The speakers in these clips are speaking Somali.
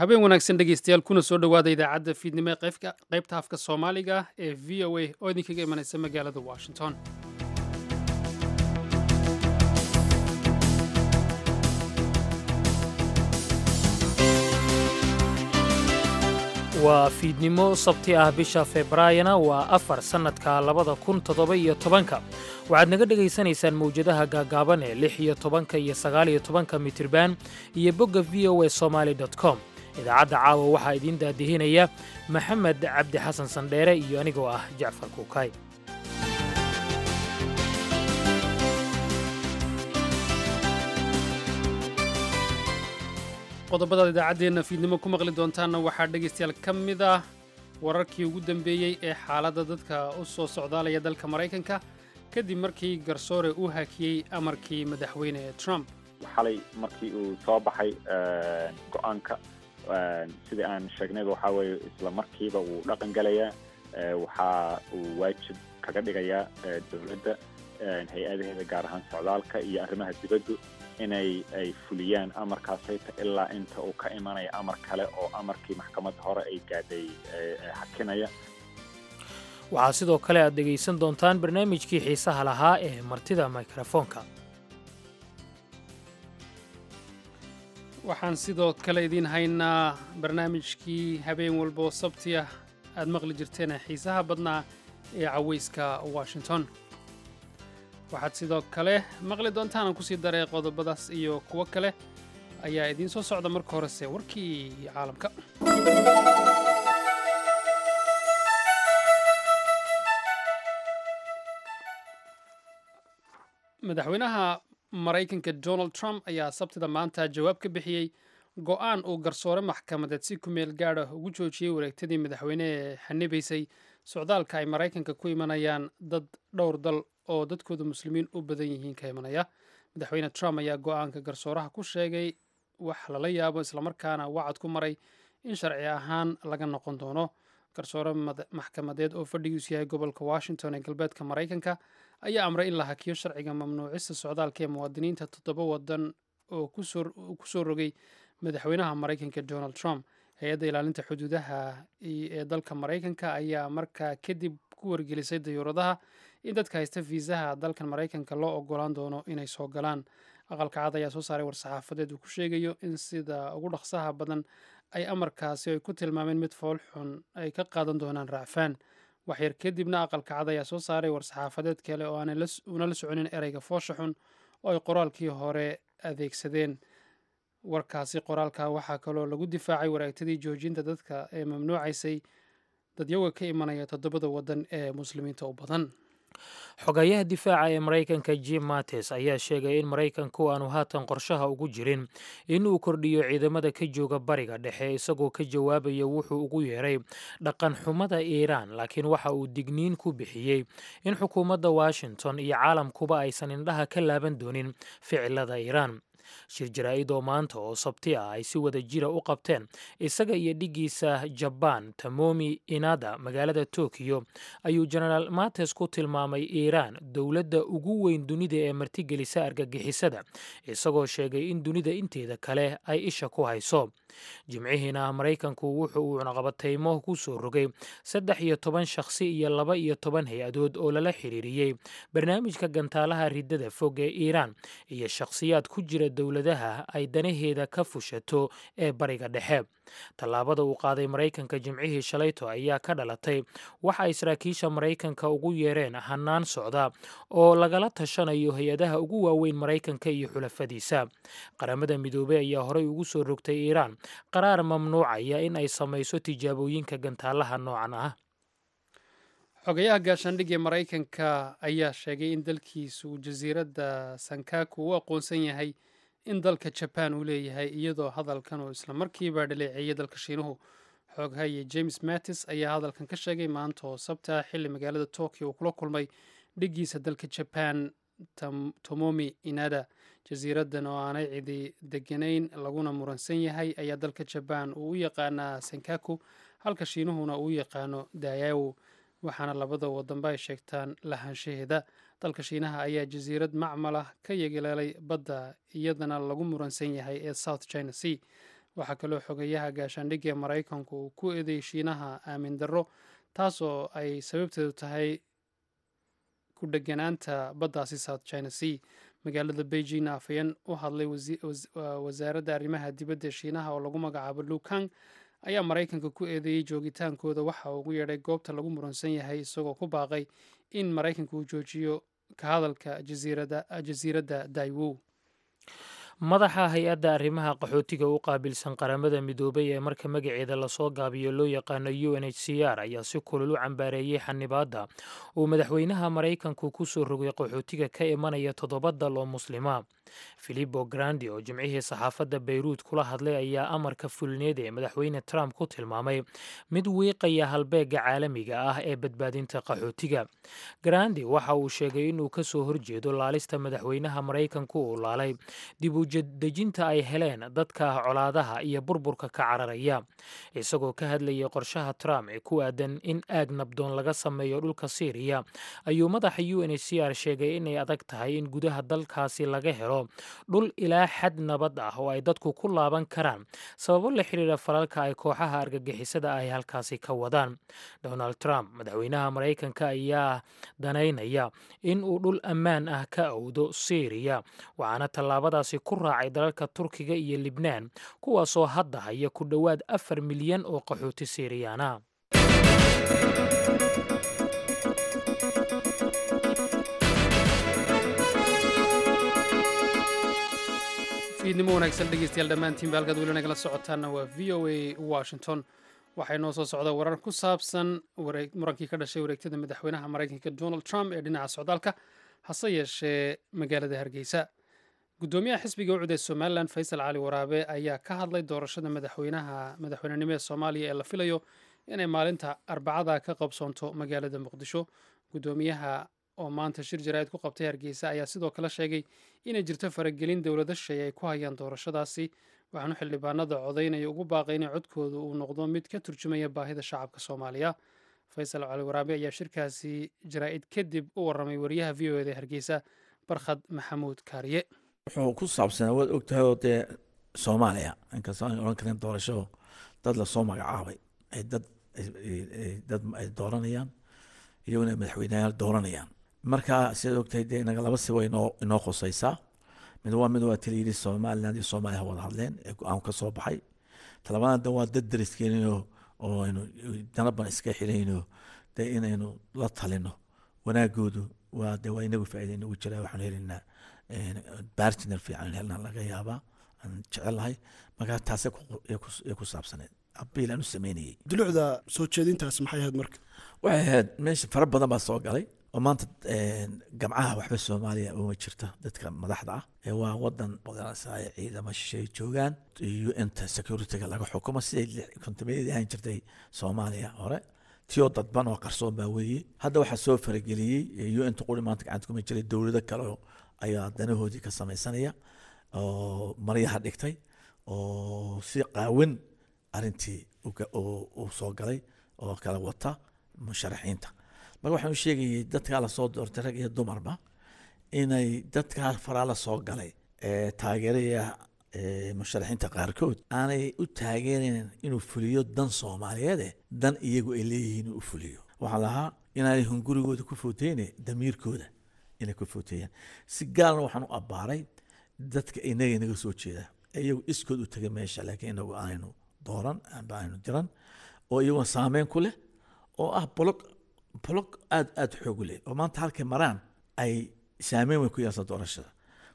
Habeen wanaagsan, dhegeystayaal, kuna soo dhowaada idaacadda fiidnimo ee qaybta afka Soomaaliga ee VOA oo idinkaga imanaysa magaalada Washington. Waa fiidnimo Sabti ah, bisha Febraayona waa 4, sannadka 2017-ka. Waxaad naga dhegaysanaysaan mawjadaha gaagaaban ee 16-ka iyo 19-ka mitirban iyo bogga VOA Somali com. Idaacadda caawa waxaa idiin daadihinaya Maxamed Cabdi Xasan Sandheere iyo anigoo ah Jacfar Kuukay. Qodobadaad idaacaddeenna fiidnimo ku maqli doontaanna waxaa, dhegaystayaal, ka mid ah wararkii ugu dambeeyey ee xaaladda dadka u soo socdaalaya dalka Maraykanka kadib markii garsoore uu hakiyey amarkii Madaxweyne Trump. Xalay markii uu soo baxay go-aanka, sidii aan sheegnayba, waxaa weeye isla markiiba wuu dhaqan gelayaa. Waxa uu waajib kaga dhigayaa dowladda hay-adaheeda, gaar ahaan socdaalka iyo arrimaha dibaddu, inay ay fuliyaan amarkaasayta ilaa inta uu ka imanaya amar kale oo amarkii maxkamadda hore ay gaadhay hakinaya. Waxaa sidoo kale aad dhegaysan doontaan barnaamijkii xiisaha lahaa ee martida mikrofoonka. Waxaan sidoo kale idiin haynaa barnaamijkii habeen walbo Sabti ah aad maqli jirteen ee xiisaha badnaa ee cawayska Washington. Waxaad sidoo kale maqli doontaan, aan kusii daray, qodobadaas iyo kuwo kale ayaa idiin soo socda. Marka horese warkii caalamka. Madaxweynaha Maraykanka Donald Trump ayaa Sabtida maanta jawaab ka bixiyey go-aan uu garsoore maxkamadeed si ku meel gaadha ugu joojiyey wareegtadii madaxweyne ee xanibaysay socdaalka ay Maraykanka ku imanayaan dad dhowr dal oo dadkooda Muslimiin u badan yihiin ka imanaya. Madaxweyne Trump ayaa go-aanka garsooraha ku sheegay wax lala yaabo, islamarkaana wacad ku maray in sharci ahaan laga noqon doono. Garsoore maxkamadeed oo fadhigiisu yahay gobolka Washington ee galbeedka Maraykanka ayaa amray in la hakiyo sharciga mamnuucista socdaalka ee muwaadiniinta toddoba wadan oo kusoo rogay madaxweynaha Maraykanka Donald Trump. Hay-adda ilaalinta xuduudaha ee dalka Maraykanka ayaa markaa kadib ku wargelisay dayuuradaha in dadka haysta fiisaha dalkan Maraykanka loo ogolaan doono inay soo galaan. Aqalka Cad ayaa soo saaray war-saxaafadeed uu ku sheegayo in sida ugu dhaqsaha badan ay amarkaasi ay ku tilmaameen mid fool xun ay ka qaadan doonaan racfaan. Waxyar kadibna Aqalka Cad ayaa soo saaray war-saxaafadeed kale oo aanay una la soconin ereyga foosha xun oo ay qoraalkii hore adeegsadeen. Warkaasi qoraalka waxaa kaloo lagu difaacay wareegtadii joojinta dadka ee mamnuucaysay dadyaga ka imanaya toddobada waddan ee Muslimiinta u badan. Xogayaha difaaca ee Maraykanka Jim Mattis ayaa sheegay in Maraykanku aanu haatan qorshaha ugu jirin in uu kordhiyo ciidamada ka jooga Bariga Dhexe, isagoo ka jawaabaya wuxuu ugu yeeray dhaqan xumada Iiraan. Laakiin waxa uu digniin ku bixiyey in xukuumadda Washington iyo caalamkuba aysan indhaha ka laaban doonin ficilada Iiraan. Shir jaraa'id oo maanta oo Sabti ah ay si wada jira u qabteen isaga iyo dhiggiisa Jabaan Tomomi Inada magaalada Tokiyo ayuu Genaraal Mattis ku tilmaamay Iiraan dowladda ugu weyn dunida ee martigelisa argagixisada, isagoo sheegay in dunida inteeda kale ay isha ku hayso. Jimcihiina Maraykanku wuxu uu cunaqabataymo ku soo rogay 13 shakhsi iyo 12 hay-adood oo lala xiriiriyey barnaamijka gantaalaha riddada fog ee Iiraan iyo shakhsiyaad ku jira dowladaha ay danaheeda ka fushato ee Bariga Dhexe. Tallaabada uu qaaday Maraykanka Jimcihii shalayto ayaa ka dhalatay waxa ay saraakiisha Maraykanka ugu yeereen hanaan socda oo lagala tashanayo hay-adaha ugu waaweyn Maraykanka iyo xulafadiisa. Qaramada Midoobey ayaa horey ugu soo rogtay Iiraan qaraar mamnuucaya in ay samayso tijaabooyinka gantaalaha noocan ah. Xogayaha gaashaandhigga ee Maraykanka ayaa sheegay in dalkiisu uu jasiiradda Sankaku u aqoonsan yahay in dalka Jabaan uu leeyahay, iyadoo hadalkan uu islamarkiiba dhaleeceeyey dalka Shiinuhu. Xoghaye James Mattis ayaa hadalkan ka sheegay maanta oo Sabta xilli magaalada Tokyo uu kula kulmay dhiggiisa dalka Jabaan Tomomi Inada. Jasiiraddan oo aanay cidi deganayn laguna muransan yahay ayaa dalka Jabaan uu u yaqaanaa Sankaku, halka Shiinuhuna uu u yaqaano Dayawo, waxaana labada wadanba ay sheegtaan lahaanshaheeda. Dalka Shiinaha ayaa jasiirad macmal ah ka yeeleelay badda iyadana lagu muransan yahay ee South China Sea. Waxaa kaloo xogayaha gaashaandhigga ee Maraykanku uu ku eedeeyey Shiinaha aamin darro, taasoo ay sababteedu tahay ku dheganaanta baddaasi South China Sea. Magaalada Beijing, afhayeen u hadlay wasaaradda arrimaha dibadda ee Shiinaha oo lagu magacaabo Lukang ayaa Maraykanka ku eedeeyey joogitaankooda waxa uu ugu yeedhay goobta lagu muransan yahay, isagoo ku baaqay in Maraykanka uu joojiyo ka hadalka jasiiradda Daiwo. Madaxa hay-adda arrimaha qaxootiga u qaabilsan Qaramada Midoobay ee marka magaceeda lasoo gaabiyo loo yaqaano UNHCR ayaa si kulul u cambaareeyey xanibaadda uu madaxweynaha Maraykanku ku soo rogay qaxootiga ka imanaya toddoba dal oo Muslima. Filipo Grandi oo Jimcihii saxaafadda Bayruud kula hadlay ayaa amarka fulineed ee madaxweyne Trump ku tilmaamay mid wiiqaya halbeegga caalamiga ah ee badbaadinta qaxootiga. Grandi waxa uu sheegay inuu ka soo horjeedo laalista madaxweynaha Maraykanku uu laalay dib u dejinta ay heleen dadka colaadaha iyo burburka ka cararaya. Isagoo ka hadlayay qorshaha Trump ee ku aadan in aag nabdoon laga sameeyo dhulka Siiriya, ayuu madaxa UNHCR sheegay inay adag tahay in gudaha dalkaasi laga helo dhul ilaa xad nabad ah oo ay dadku ku laaban karaan, sababo la xiriira falalka ay kooxaha argagixisada ay halkaasi ka wadaan. Donald Trump, madaxweynaha Maraykanka, ayaa danaynaya in uu dhul ammaan ah ka awdo Siiriya, waxaana tallaabadaasi ku raacay dalalka Turkiga iyo Libnaan, kuwaasoo hadda haya ku dhowaad 4 milyan oo qaxooti Siiriyaana. Fiidnimo wanaagsan, dhegeystayaal dhammaantiinba. Halkaad weli nagala socotaanna waa VOA Washington. Waxaa inoo soo socda warar ku saabsan murankii ka dhashay wareegtada madaxweynaha Maraykanka Donald Trump ee dhinaca socdaalka. Hase yeeshee, magaalada Hargeysa, guddoomiyaha xisbiga UCID ee Somaliland, Faysal Cali Waraabe, ayaa ka hadlay doorashada madaxweynaha madaxweynenimo ee Soomaaliya ee la filayo inay maalinta Arbacada ka qabsoonto magaalada Muqdisho. Guddoomiyaha oo maanta shir jaraa'id ku qabtay Hargeysa ayaa sidoo kale sheegay inay jirto faragelin dowlado shisheeye ay ku hayaan doorashadaasi, waxaanu xildhibaanada codaynaya ugu baaqay inay codkooda uu noqdo mid ka turjumaya baahida shacabka Soomaaliya. Faysal Cali Waraabe ayaa shirkaasi jaraa'id kadib u waramay wariyaha VOA da Hargeysa, Barkhad Maxamuud Kaariye. Wuxuu ku saabsanaa, waad ogtahay oo dee Soomaaliya, inkastoo aan odhan karin doorasho dad lasoo magacaabay ay dad ay dooranayaan, iyaguna madaxweyneyaal dooranayaan. Marka sidaad ogtahay dee inaga laba si way inoo khusaysaa. Mid waa tili yidhi Somaliland iyo Soomaaliya ha wada hadleen ee go-aan ka soo baxay. Talabaadna waa dad dariskeenino oo aynu danaban iska xirayno, dee inaynu la talino wanaagoodu waa de waa inagu faa'iida inagu jiraa. Waxaanu helaynaa partner fiican helnaa laga yaabaa aan jecelahay. Marka taasay ku saabsaneed appeal aan u sameynayay. Dulucda soo jeedintaas maxay ahayd marka? Waxay ahayd meesha fara badan baa soo galay oo maanta gamcaha waxba Soomaaliya uma jirta dadka madaxda ah ee waa wadan magaranaysaa ciidamo shisheeye joogaan, UN-ta security-ga laga xukumo, siday kontameeyadii ahaan jirtay Soomaaliya hore, tiyoo dadban oo qarsoon baa weeye. Hadda waxaa soo farageliyey UN-ta quri maanta gacanta kuma jiray, dowlado kale ayaa danahoodii ka samaysanaya oo maryaha dhigtay oo si qaawan arrintii uu soo galay oo kala wata musharaxiinta. Marka waxaan u sheegayay dadkaa lasoo doortay, rag iyo dumarba, inay dadkaa faraa la soo galay ee taageeraya musharaxiinta qaarkood aanay u taageerayn inuu fuliyo dan Soomaaliyeede, dan iyagu ay leeyihiin inuu u fuliyo. Waxaa lahaa inaanay hungurigooda ku footeyne, damiirkooda inay ku footeeyaan. Si gaarna waxaan u abbaaray dadka inaga inaga soo jeeda, iyagu iskood u tegay meesha, laakiin inagu aanaynu dooran amba aynu diran, oo iyaguna saameyn ku leh oo ah bloc aad aad xoog u leh oo maanta halkay maraan ay saameyn weyn ku yeelsa doorashada.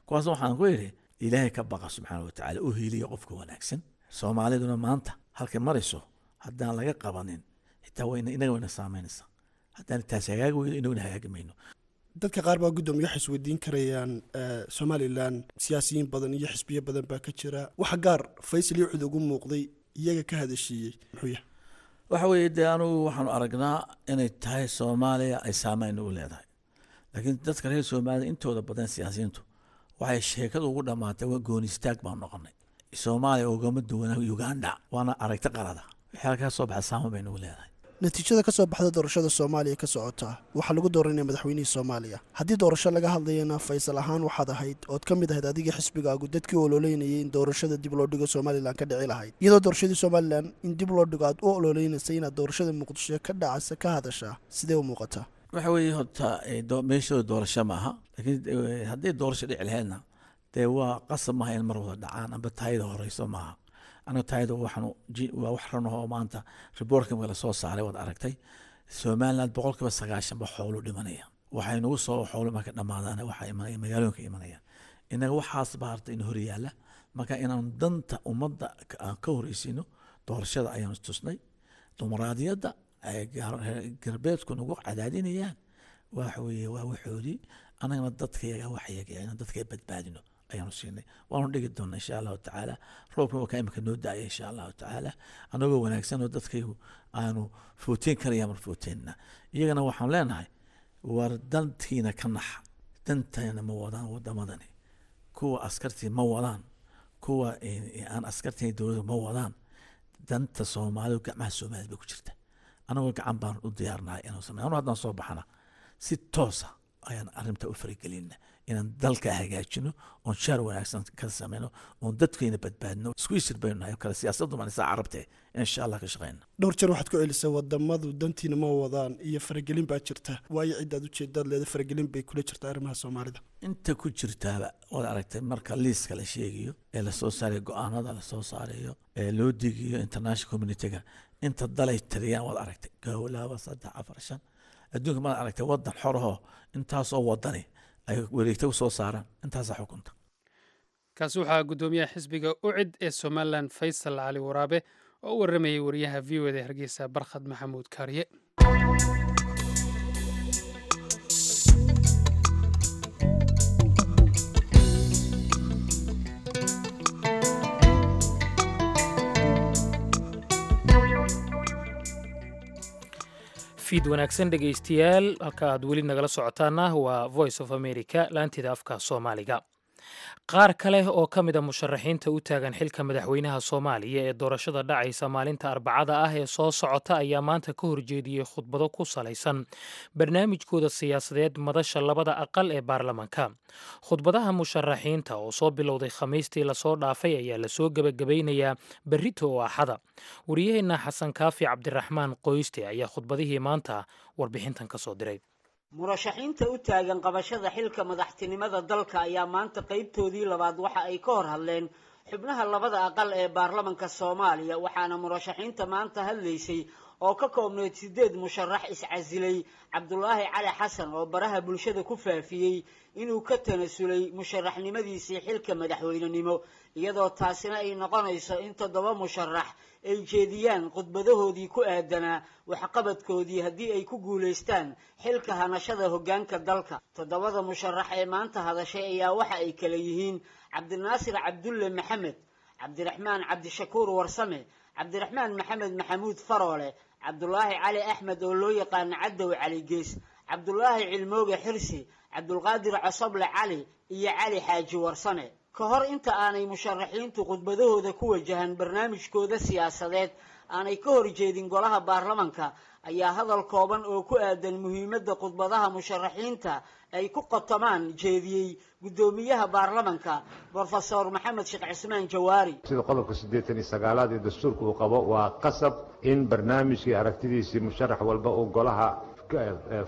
Kuwaasna waxaan ku yidhi: Ilaahay ka baqa subxaana watacaala, u hiiliya qofka wanaagsan. Soomaaliduna maanta halkay marayso haddaan laga qabanin, xitaa wayna inaga wayna saameynaysaa. Haddaan taas hagaagi weydo, inaguna hagaagi mayno. Dadka qaar baa, guddoomiye, waxay isweydiin karayaan Somaliland siyaasiyiin badan iyo xisbiyo badan baa ka jira. Waxa gaar Faysal iyo UCID ugu muuqday, iyaga ka hadashiiyey, muxuu yahay? Waxa weeye dee anugu waxaanu aragnaa inay tahay Soomaaliya ay saameyn ugu leedahay, laakiin dadka reer Soomaaliya intooda badan siyaasiyiintu waxay sheekadu ugu dhammaatay waa gooni istaag baan noqonay, Soomaaliya ugama duwanaa Uganda, waana aragti qalada. Wixii halkaa soo baxa saameyn bay nagu leedahay. Natiijada ka soo baxda doorashada Soomaaliya ka socota waxaa lagu dooranaya madaxweynihii Soomaaliya. Haddii doorasho laga hadlayana, Faysal ahaan waxaad ahayd ood ka mid ahayd adiga xisbigaagu dadkii ololeynayay in doorashada dib loo dhigo Somalilan ka dhici lahayd, iyadoo doorashadii Somalilan in dib loo dhigo aad u ololeynaysa, inaad doorashada Muqdisho ka dhacasa ka hadashaa sidee u muuqataa? Waxa weeye horta meeshooda doorasho maaha, laakiin haddii doorasho dhici lahaydna dee waa qasab maaha in mar wada dhacaan amba taayada horeyso maaha. Aniga taayada waxaan waa wax run oo maanta reportka marka lasoo saaray waad aragtay, Somaliland 90% ba xoolu dhimanaya. Waxay nagu soo xoolo marka dhamaadaan waxaa imanaya magaalooyinka imanaya. Inaga waxaas baa harta in hor yaalla, marka inaan danta ummadda aan ka horeysiino doorashada ayaanu tusnay. Dimuqraadiyadda ay galbeedku nagu cadaadinayaan waxa weeye waa waxoodii, annagana dadkayaga waxyaga inaan dadka badbaadino ayaanu siinay. Waanu dhigi doonaa insha Allahu tacaala. Roobka waa kaa imika noo daaya insha Allahu tacaala, annagoo wanaagsan oo dadkaygu aanu footeen karaya mar footeenna. Iyagana waxaan leenahay, war dantiina ka naxa. Danteena ma wadaan wadamadani, kuwa askartii ma wadaan, kuwa aan askartii dowladda ma wadaan. Danta Soomaalidu gacmaha Soomaalida bay ku jirta. Anagoo gacan baan u diyaarnahay inaan samey. Anu haddaan soo baxana si toosa ayaan arrinta u faragelina inaan dalka hagaajino oon shaar wanaagsan ka sameyno oon dadkeena badbaadino. Isku isir baynu nahay kale siyaasaddu maan isaa carabte insha Allah ka shaqeyna. Dhowr jeer waxaad ku celisay wadamadu dantiina ma wadaan iyo faragelin baa jirta. Waayo ciddaad ujeedaad leeda faragelin bay kula jirta arrimaha Soomaalida? Inta ku jirtaaba waad aragtay, marka liiska la sheegayo ee lasoo saarayo, go-aanada lasoo saarayo ee loo digiyo international community-ga, inta dalay tiriyaan waad aragtay: 1, 2, 3, 4, 5. Adduunka maad aragtay wadan xorahoo intaasoo wadani ay wareegta usoo saaraan intaasaa xukunta? Kaasi waxaa guddoomiyaha xisbiga UCID ee Somalilan, Faysal Cali Waraabe, oo u waramayay wariyaha VOA da Hargeysa, Barkhad Maxamuud Kaariye. Fiid wanaagsan dhegaystayaal, halka aad weli nagala socotaana waa Voice of America, laanteeda afka Soomaaliga. Qaar kale oo ka mid a musharaxiinta u taagan xilka madaxweynaha Soomaaliya ee doorashada dhacaysa maalinta Arbacada ah ee soo socota ayaa maanta ka horjeediyey khudbado ku salaysan barnaamijkooda siyaasadeed madasha labada aqal ee baarlamaanka. Khudbadaha musharaxiinta oo soo bilowday Khamiistii lasoo dhaafay ayaa lasoo gebagabaynayaa berrito oo Axada. Wariyaheenna Xasan Kaafi Cabdiraxmaan Qoyste ayaa khudbadihii maanta warbixintan ka soo diray. Murashaxiinta u taagan qabashada xilka madaxtinimada dalka ayaa maanta qaybtoodii labaad waxa ay ka hor hadleen xubnaha labada aqal ee baarlamanka Soomaaliya. Waxaana murashaxiinta maanta hadlaysay oo ka koobneyd sideed musharax iscasilay Cabdulaahi Cali Xasan, oo baraha bulshada ku faafiyey inuu ka tanasulay musharaxnimadiisii xilka madaxweynenimo, iyadoo taasina ay noqonayso in toddoba musharax ay jeediyaan khudbadahoodii ku aadanaa waxqabadkoodii haddii ay ku guulaystaan xilka hanashada hoggaanka dalka. Toddobada musharax ee maanta hadashay ayaa waxa ay kala yihiin Cabdinaasir Cabdulle Maxamed, Cabdiraxmaan Cabdishakuur Warsame, Cabdiraxmaan Maxamed Maxamuud Faroole, Cabdulaahi Cali Axmed oo loo yaqaano Cadow Cali Gees, Cabdulaahi Cilmooge Xirsi, Cabdulqaadir Cosoble Cali iyo Cali Xaaji Warsame. Ka hor inta aanay musharaxiintu khudbadahooda ku wajahan barnaamijkooda siyaasadeed aanay ka horjeedin golaha baarlamanka ayaa hadal kooban oo ku aadan muhiimadda khudbadaha musharaxiinta ay ku qotomaan jeediyey guddoomiyaha baarlamanka, Brofesor Maxamed Sheekh Cismaan Jawaari. Sida qodobka 89aad ee dastuurka uu qabo, waa qasab in barnaamijkii aragtidiisii musharax walba uu golaha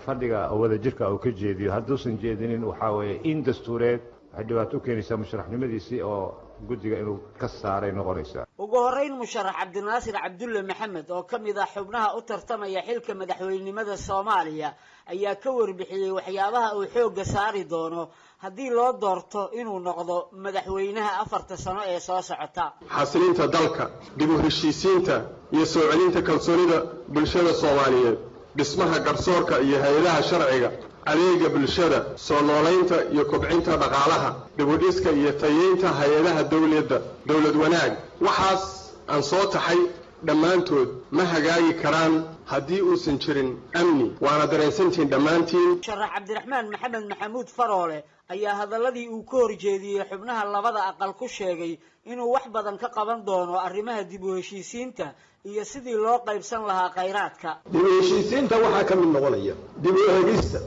fadhiga wadajirka uu ka jeediyo. Hadduusan jeedinin, waxaa weeye in dastuureed waxay dhibaato u keenaysaa musharaxnimadiisii oo guddiga inuu ka saaray noqonaysaa. Ugu horreyn, musharax Cabdinaasir Cabdulle Maxamed oo ka mid ah xubnaha u tartamaya xilka madaxweynenimada Soomaaliya ayaa ka warbixiyey waxyaabaha uu xoogga saari doono haddii loo doorto inuu noqdo madaxweynaha 4ta sano ee soo socota. Xasilinta dalka, dib u heshiisiinta iyo soo celinta kalsoonida bulshada Soomaaliyeed, dhismaha garsoorka iyo hay-adaha sharciga, adeega bulshada, soo noolaynta iyo kobcinta dhaqaalaha, dibudhiska iyo tayeynta hay-adaha dowladda, dowlad wanaag. Waxaas aan soo taxay Dhammaantood ma hagaagi karaan haddii uusan jirin amni, waana dareensantihiin dhammaantiin. Musharax Cabdiraxmaan Maxamed Maxamuud Faroole ayaa hadalladii uu ka horjeediyey xubnaha labada aqal ku sheegay inuu wax badan ka qaban doono arrimaha dib u heshiisiinta iyo sidii loo qaybsan lahaa khayraadka. Dib u heshiisiinta waxaa ka mid noqonaya dib u eegista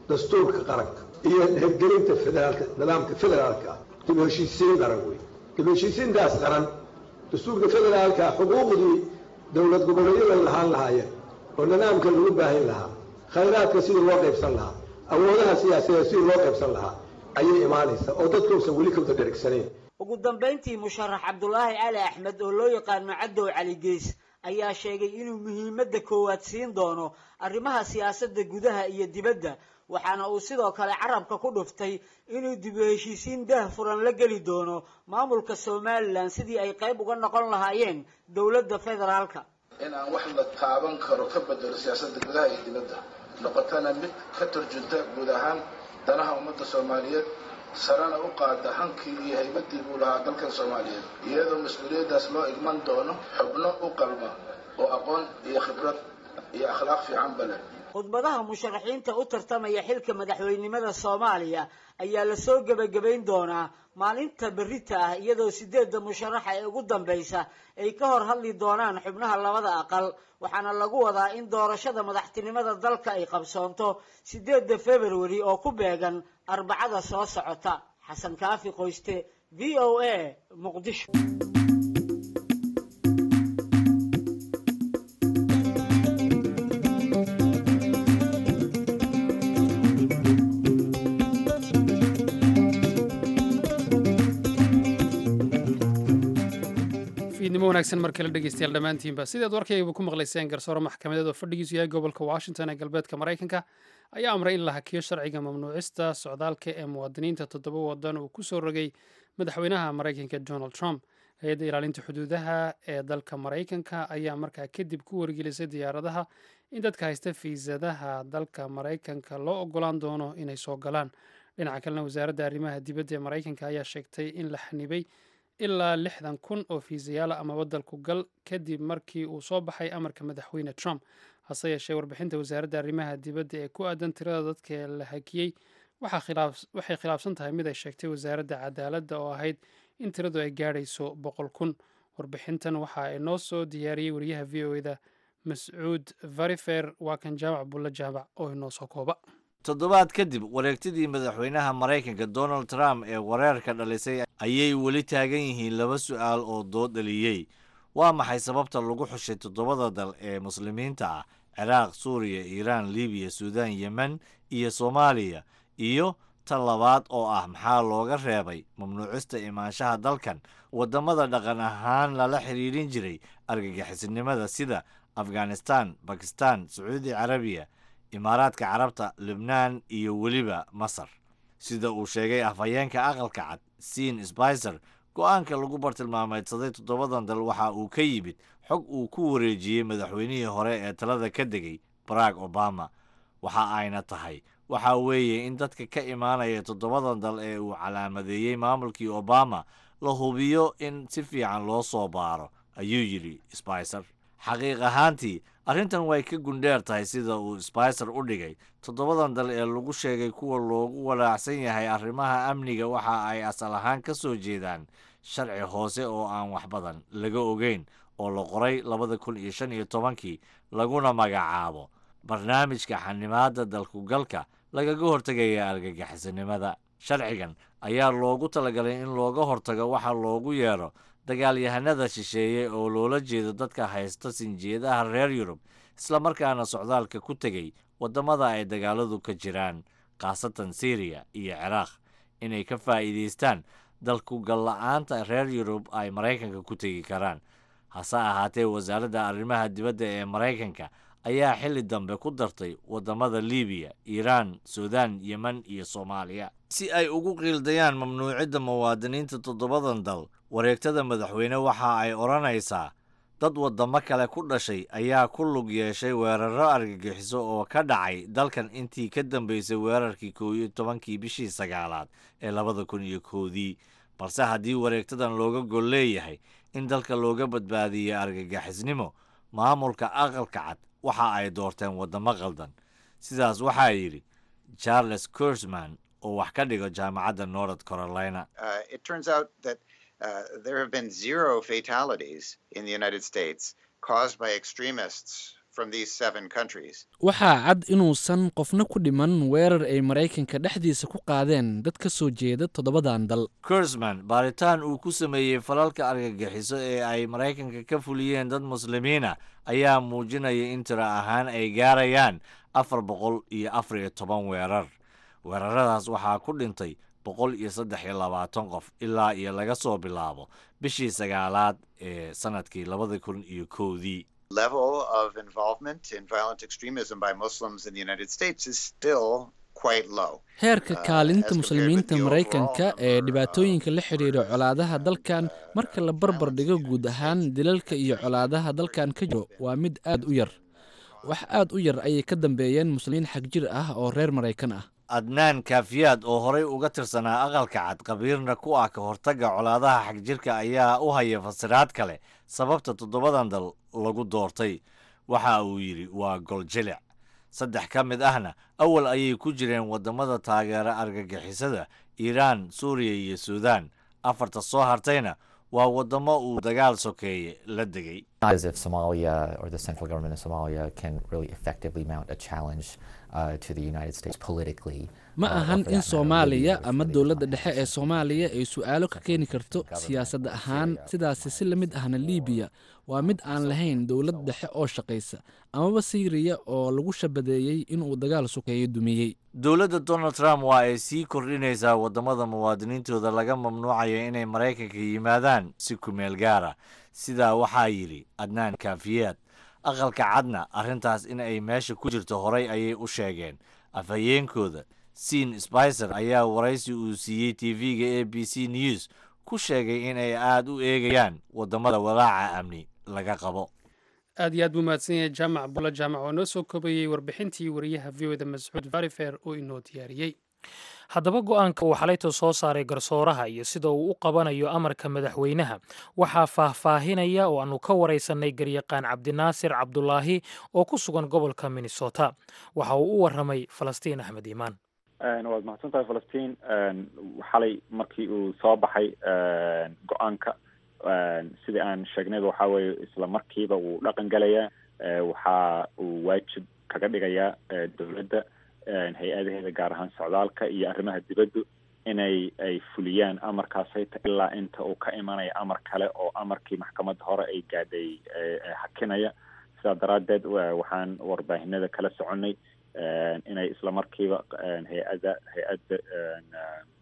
dastuurka qaranka iyo hirgelinta federaalka, nidaamka federaalka ah. Dib u heshiisiin qaran wey. Dib u heshiisiintaas qaran, dastuurka federaalka, xuquuqdii dowlad goboleedyada lahaan lahaayeen oo nidaamka lagu baahin lahaa, khayraadka sidii loo qaybsan lahaa, awoodaha siyaasadeed sidii loo qaybsan lahaa ayay imaanaysaa oo dadkuusan weli kawada dheregsanayn. Ugu dambayntii, musharax Cabdulaahi Cali Axmed oo loo yaqaano Cadow Cali Geys ayaa sheegay inuu muhiimadda koowaad siin doono arrimaha siyaasadda gudaha iyo dibadda, waxaana uu sidoo kale carabka ku dhuftay inuu dib u heshiisiin daah furan la geli doono maamulka Somalilan sidii ay qayb uga noqon lahaayeen dowladda federaalka. In aan wax la taaban karo ka bedelo siyaasadda gudaha iyo dibadda, noqotana mid ka turjunta guud ahaan danaha ummadda Soomaaliyeed, sarana u qaada hankii iyo haybaddii uu lahaa dalkan Soomaaliyeed, iyadoo mas-uuliyaddaas loo igman doono xubno u qalma oo aqoon iyo khibrad iyo akhlaaq fiicanba leh. Khudbadaha musharaxiinta u tartamaya xilka madaxweynimada Soomaaliya ayaa lasoo gebagabayn doonaa maalinta berrita ah, iyadoo 8da musharaxa ee ugu dambaysa ay ka hor hadli doonaan xubnaha labada aqal, waxaana lagu wadaa in doorashada madaxtinimada dalka ay qabsoonto 8da Februari oo ku beegan Arbacada soo socota. Xasan Kaafi Qoyste, VOA, Muqdisho. Fiidnimo wanaagsan mar kale, dhegeystayaal dhammaantiinba. Sidaad warkaygaba ku maqlayseen, garsoore maxkamadeed oo fadhigiisu yahay gobolka Washington ee galbeedka Maraykanka ayaa amray in la hakiyo sharciga mamnuucista socdaalka ee muwaadiniinta toddoba wadan uu ku soo rogay madaxweynaha Maraykanka Donald Trump. Hay-adda ilaalinta xuduudaha ee dalka Maraykanka ayaa markaa kadib ku wargelisay diyaaradaha in dadka haysta fiisadaha dalka Maraykanka loo ogolaan doono inay soo galaan. Dhinaca kalena, wasaaradda arrimaha dibadda ee Maraykanka ayaa sheegtay in la xanibay ilaa 60,000 oo fiisayaala amaba dalku gal kadib markii uu soo baxay amarka madaxweyne Trump. Hase yeeshee, warbixinta wasaaradda arrimaha dibadda ee ku aadan tirada dadka la hakiyey waxay khilaafsan tahay mid ay sheegtay wasaaradda cadaaladda oo ahayd in tiradu ay gaadhayso 100,000. Warbixintan waxa inoo soo diyaariyey wariyaha VOA-da Mascuud Varifer. Waa kan Jaamac Bulle Jaamac oo inoo soo kooba. Toddobaad kadib wareegtidii madaxweynaha Maraykanka Donald Trump ee wareerka dhalisay ayay weli taagan yihiin laba su'aal oo dood dhaliyey. Waa maxay sababta lagu xushay toddobada dal ee Muslimiinta ah, Ciraaq, Suuriya, Iiraan, Libiya, Suudaan, Yemen iyo Soomaaliya? Iyo tan labaad oo ah, maxaa looga reebay mamnuucista imaanshaha dalkan waddamada dhaqan ahaan lala xiriirin jiray argagixisinimada sida Afghanistan, Bakistan, Sacuudi Carabiya, Imaaraadka Carabta, Libnaan iyo weliba Masar? Sida uu sheegay afhayeenka Aqalka Cad Sean Spicer, go-aanka lagu bartilmaameedsaday toddobadan dal waxa uu ka yimid xog uu ku wareejiyey madaxweynihii hore ee talada ka degay, Barack Obama. Waxa ayna tahay waxa weeye in dadka ka imaanaya toddobadan dal ee uu calaamadeeyey maamulkii Obama la hubiyo in si fiican loo soo baaro, ayuu yidhi Spicer. Xaqiiq ahaantii, arrintan way ka gundheer tahay sida uu Spicer u dhigay. Toddobadan dal ee lagu sheegay kuwa loogu walaacsan yahay arrimaha amniga waxa ay asal ahaan ka soo jeedaan sharci hoose oo aan wax badan laga ogeyn oo la qoray 2015-kii, laguna magacaabo barnaamijka xanimaada dalkugalka lagaga hortegaya argagixisanimada. Sharcigan ayaa loogu talagalay in looga hortago waxa loogu yeero dagaalyahanada shisheeye, oo loola jeedo dadka haysta sinjeedaha reer Yurub islamarkaana socdaalka ku tegey waddamada ay dagaaladu ka jiraan, khaasatan Syriya iyo Ciraaq, inay ka faa'iidaystaan dalkugal-la'aanta reer Yurub ay Maraykanka ku tegi karaan. Hase ahaatee, wasaaradda arrimaha dibadda ee Maraykanka ayaa xilli dambe ku dartay waddamada Libiya, Iiraan, Suudaan, Yemen iyo Soomaaliya si ay ugu qiildayaan mamnuucidda muwaadiniinta toddobadan dal. Wareegtada madaxweyne waxa ay odhanaysaa dad waddamo kale ku dhashay ayaa ku lug yeeshay weerarro argagixiso oo ka dhacay dalkan intii ka dambeysay weerarkii 11-kii bishii sagaalaad ee 2001-dii. Balse haddii wareegtadan looga gol leeyahay in dalka looga badbaadiyo argagixisnimo, maamulka Aqalka Cad waxa ay doorteen waddamo qaldan. Sidaas waxaa yidhi Charles Kurzman oo wax ka dhigo Jaamacadda North Carolina. It turns out that there have been zero fatalities in the United States caused by extremists from these seven countries. Waxaa cad inuusan qofna ku dhiman weerar ay Maraykanka dhexdiisa ku qaadeen dad ka soo jeeda toddobadan dal. Kurzman baaritaan uu ku sameeyey falalka argagixiso ee ay Maraykanka ka fuliyeen dad Muslimiina ayaa muujinaya in tiro ahaan ay gaarayaan 414 weerar. Weeraradaas waxaa ku dhintay 123 qof ilaa iyo laga soo bilaabo bishii sagaalaad ee sanadkii 2001-dii. Level of involvement in violent extremism by Muslims in the United States is still quite low. Heerka kaalinta Muslimiinta Maraykanka ee dhibaatooyinka la xidhiidha colaadaha dalkan, marka la barbar dhigo guud ahaan dilalka iyo colaadaha dalkan ka jiro, waa mid aad u yar. Wax aad u yar ayay ka dambeeyeen Muslimiin xagjir ah oo reer Maraykan ah. Adnaan Kaafiyaad oo horey uga tirsanaa Aqalka Cad, khabiirna ku ah ka hortagga colaadaha xagjirka, ayaa u haya fasiraad kale sababta toddobadan dal lagu doortay. Waxa uu yidhi waa goljilic. Saddex ka mid ahna awal ayay ku jireen waddamada taageera argagixisada: Iiraan, Suuriya iyo Suudaan. Afarta soo hartayna waa waddamo uu dagaal sokeeye la degay. Not as if Somalia or the central government of Somalia can really effectively mount a challenge to the United States politically. Ma ahan in Soomaaliya ama dowladda dhexe ee Soomaaliya ay su'aalo ka keeni karto siyaasad ahaan. Sidaasi si la mid ahna Liibiya waa mid aan lahayn dowlad dhexe oo shaqaysa, amaba Siiriya oo lagu shabadeeyey inuu dagaal sokeeye dumiyey. Dowladda Donald Trump waa ay sii kordhinaysaa waddamada muwaadiniintooda laga mamnuucayo inay Maraykanka yimaadaan si kumeel gaara. Sidaa waxaa yidhi Adnaan Kaafiyaad. Aqalka Cadna arrintaas in ay meesha ku jirto horay ayay u sheegeen. Afhayeenkooda Sean Spicer ayaa waraysi uu siiyey TV-ga ABC News ku sheegay in ay aada u eegayaan waddamada walaaca amni laga qabo. Aad iyo aad buu mahadsan yahay Jaamac Bulo Jaamac oo noo soo koobayey warbixintii wariyaha VOA-da Mascuud Varifer oo inoo diyaariyey. Haddaba, go'aanka uu xalayto soo saaray garsooraha iyo sida uu u qabanayo amarka madaxweynaha waxaa faahfaahinaya oo aanu ka waraysanay garyaqaan Cabdinaasir Cabdulaahi oo ku sugan gobolka Minnesota. Waxa uu u waramay Falastiin Axmed Iimaan. Waad mahadsan tahay, Falastiin. Xalay markii uu soo baxay go'aanka, sidii aan sheegnayba, waxaa weeye isla markiiba wuu dhaqan galayaa. Waxa uu waajib kaga dhigayaa dowladda hay'adaheeda, gaar ahaan socdaalka iyo arrimaha dibaddu, inay ay fuliyaan amarkaasayta ilaa inta uu ka imanaya amar kale oo amarkii maxkamadda hore ay gaadhay hakinaya. Sidaa daraaddeed waxaan warbaahinada kala soconay inay isla markiiba hay'adda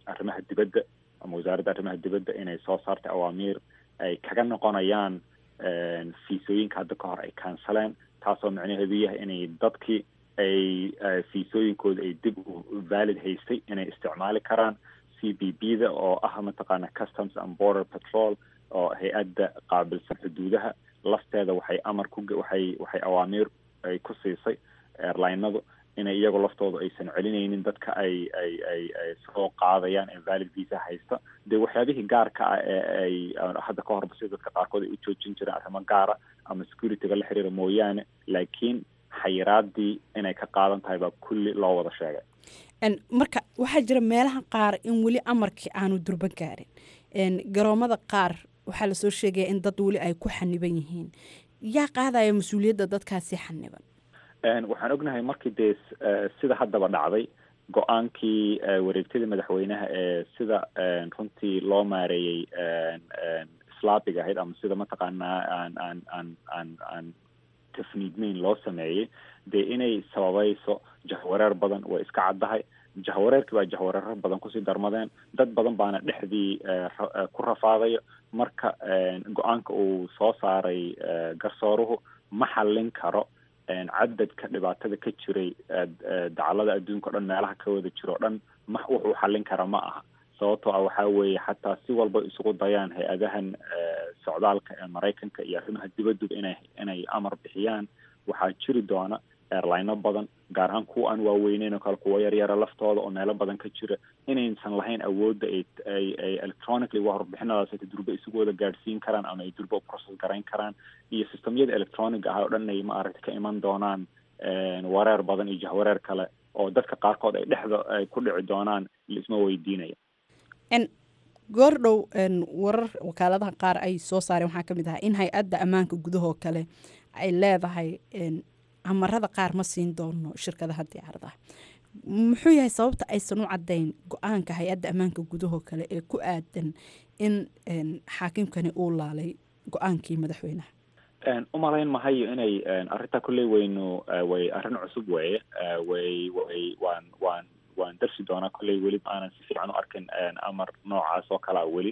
arrimaha dibadda ama wasaaradda arrimaha dibadda inay soo saartay awaamiir ay kaga noqonayaan fiisooyinka hadda ka hor ay kansaleen, taasoo micnaheedu yahay inay dadkii ay fiisooyinkooda ay dib u valid haystay inay isticmaali karaan. CBP da oo ah mataqaana Customs and Border Patrol oo hay'adda qaabilsan xuduudaha lafteeda, waxay amar ku waxay awaamiir ay ku siisay airline-adu inay iyagu laftooda aysan celinaynin dadka ay soo qaadayaan ee valid visa haysta. Dee waxyaabihii gaarka ah ee ay hadda ka horba sida dadka qaarkood ay u joojin jireen arrimo gaara ama security-ga la xiriira mooyaane, laakiin xayiraadii inay ka qaadan tahay baa kulli loo wada sheegay. Marka waxaa jira meelaha qaar in weli amarkii aanu durban gaarin. Garoomada qaar waxaa lasoo sheegaya in dad weli ay ku xaniban yihiin. Yaa qaadaya mas'uuliyadda dadkaasi xaniban? Waxaan ognahay markii dee sida haddaba dhacday go'aankii wareegtadii madaxweynaha ee sida runtii loo maareeyey islaabiga ahayd ama sida mataqaanaa aan tafniidmeyn loo sameeyey, dee inay sababayso jahwareer badan way iska caddahay. Jahwareerkii baa jahwareero badan kusii darmadeen, dad badan baana dhexdii ku rafaadayo. Marka go'aanka uu soo saaray garsooruhu ma xallin karo cadadka dhibaatada ka jiray dacalada adduunka o dhan, meelaha ka wada jiro o dhan ma wuxuu xallin kara ma aha. Sababtoo ah waxaa weeye xataa si walba isugu dayaan hay'adahan socdaalka ee Maraykanka iyo arrimaha dibadduba inay amar bixiyaan, waxaa jiri doona airline-o badan, gaar ahaan kuwa aan waaweyneyn oo kale, kuwa yaryara laftooda oo meelo badan ka jira, Inaysan lahayn awoodda ay electronically warbixinadaas ay durba isugu wada gaadhsiin karaan ama ay durba u process garayn karaan, iyo systemyada electronic ah oo dhan ay maaragtay ka iman doonaan wareer badan iyo jahwareer kale oo dadka qaarkood ay dhexda ay ku dhici doonaan, laisma weydiinayo. Goordhow warar wakaaladaha qaar ay soo saareen waxaa ka mid ahaa in hay-adda ammaanka gudahoo kale ay leedahay amarada qaar ma siin doono shirkadaha diyaaradaha. Muxuu yahay sababta aysan u caddayn go-aanka hay-adda ammaanka gudahoo kale ee ku aadan in xaakimkani uu laalay go-aankii madaxweynaha? Umalayn mahayo inay arrintaa kolley weynu way arrin cusub weeye. Way way waan waan waan darsi doonaa. Kolley weli aanan si fiican u arkin amar noocaas oo kalea weli.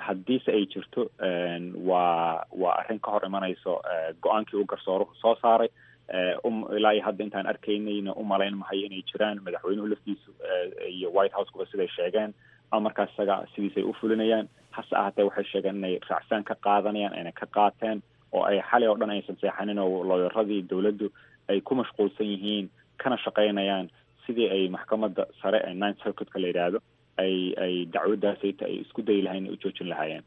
Haddiise ay jirto, waa arrin ka hor imanayso go-aankii uu garsooruhu soo saaray. Ilaa iyo hadda intaan arkaynayna umalayn mahayo inay jiraan. Madaxweynuhu laftiisu iyo White House kuba siday sheegeen, amarkaas isaga sidiisay u fulinayaan. Hase ahaatee, waxay sheegeen inay raacsaan ka qaadanayaan, ayna ka qaateen, oo ay xalay oo dhan aysan seexanin, oo looyaradii dowladdu ay ku mashquulsan yihiin kana shaqaynayaan sidii ay maxkamadda sare ee Ninth Circuitka la yidhaahdo ay dacwaddaasayta ay isku dayi lahayn u joojin lahaayeen.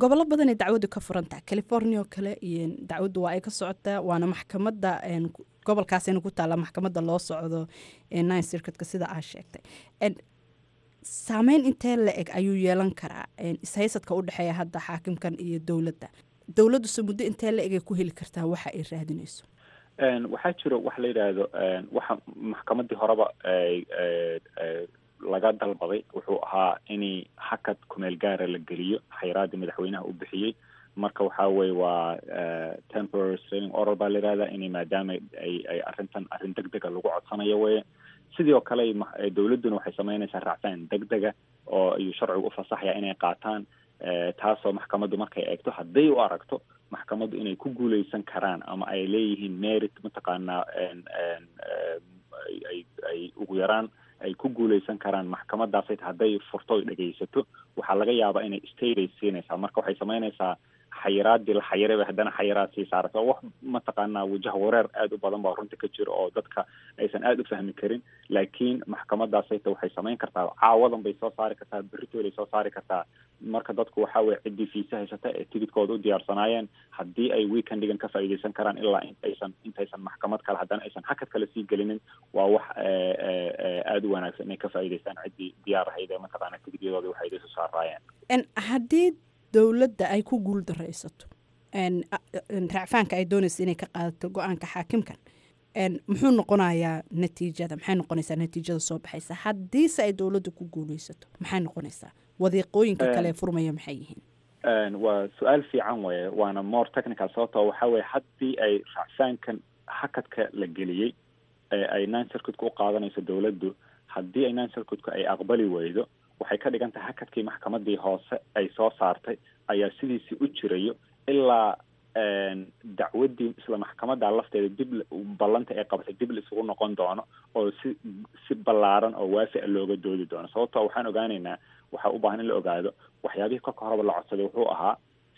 Gobollo badanay dacwaddu ka furantaha, California oo kale iyo dacwaddu waa ay ka socotaa, waana maxkamadda gobolkaasayna ku taalla maxkamadda loo socdo Ninth Circuitka sida aa sheegtay. Saameyn intee la eg ayuu yeelan karaa ishaysadka u dhexeeya hadda xaakimkan iyo dowladda? Dowladduse muddo intee la egay ku heli kartaa waxa ay raadinayso? Waxaa jiro waxa la yidhaahdo, waxa maxkamaddii horeba laga dalbaday wuxuu ahaa in hakad kumeel gaara la geliyo xayiraadii madaxweynaha uu bixiyey. Marka waxaa weye waa temporary restraining order baa la yidhahdaa, in maadaama ay arrintan arrin deg dega lagu codsanayo weye. Sidoo kale dowladduna waxay samaynaysaa raacsan deg dega oo ayuu sharcigu ufasaxaya inay qaataan, taasoo maxkamaddu markay eegto, hadday u aragto maxkamaddu inay ku guuleysan karaan ama ay leeyihiin merit, mataqaanaa, ay ugu yaraan ay ku guuleysan karaan maxkamadaasay, hadday furto oy dhegaysato, waxaa laga yaabaa inay stay bay siinaysaa. Marka waxay samaynaysaa xayiraadii la xayiray bay haddana xayiraad sii saaraysa. Wax mataqaanaa wajah wareer aada u badan baa runta ka jira oo dadka aysan aada u fahmi karin. Laakiin maxkamadaasayta waxay samayn kartaa, caawadan bay soo saari kartaa, beritoolay soo saari kartaa. Marka dadku waxa weye ciddii fiisa haysata ee tigidkooda u diyaarsanaayeen, haddii ay weekendigan ka faa'iidaysan karaan ilaa intaysan maxkamad kale haddana aysan hakad kale sii gelinin, waa wax aada u wanaagsan inay ka faa'iidaystaan ciddii diyaar ahayd ee mataqaana tigidyadoodii waxay isu saaraayeen. Haddii dowladda ay ku guul daraysato racfaanka ay doonaysa inay ka qaadato go-aanka xaakimkan, muxuu noqonayaa natiijada? Maxay noqonaysaa natiijada soo baxaysa? Haddiise ay dowladda ku guuleysato, maxay noqonaysaa? Wadiiqooyinka kale furmaya maxay yihiin? Waa su-aal fiican weye, waana more technical, sababtoo waxaa weye haddii ay racfaankan hakadka la geliyey ee ay Nine Circuitka u qaadanayso dowladdu, haddii ay Nine Circuitka ay aqbali weydo, waxay ka dhigan tahay hakadkii maxkamadii hoose ay soo saartay ayaa sidiisii u jirayo ilaa dacwaddii isla maxkamadda lafteeda dib ballanta ay qabatay dib la isugu noqon doono oo si ballaaran oo waafi a looga doodi doono. Sababtoo waxaan ogaanaynaa, waxaa u baahan in la ogaado waxyaabihii kolka horeba la codsaday wuxuu ahaa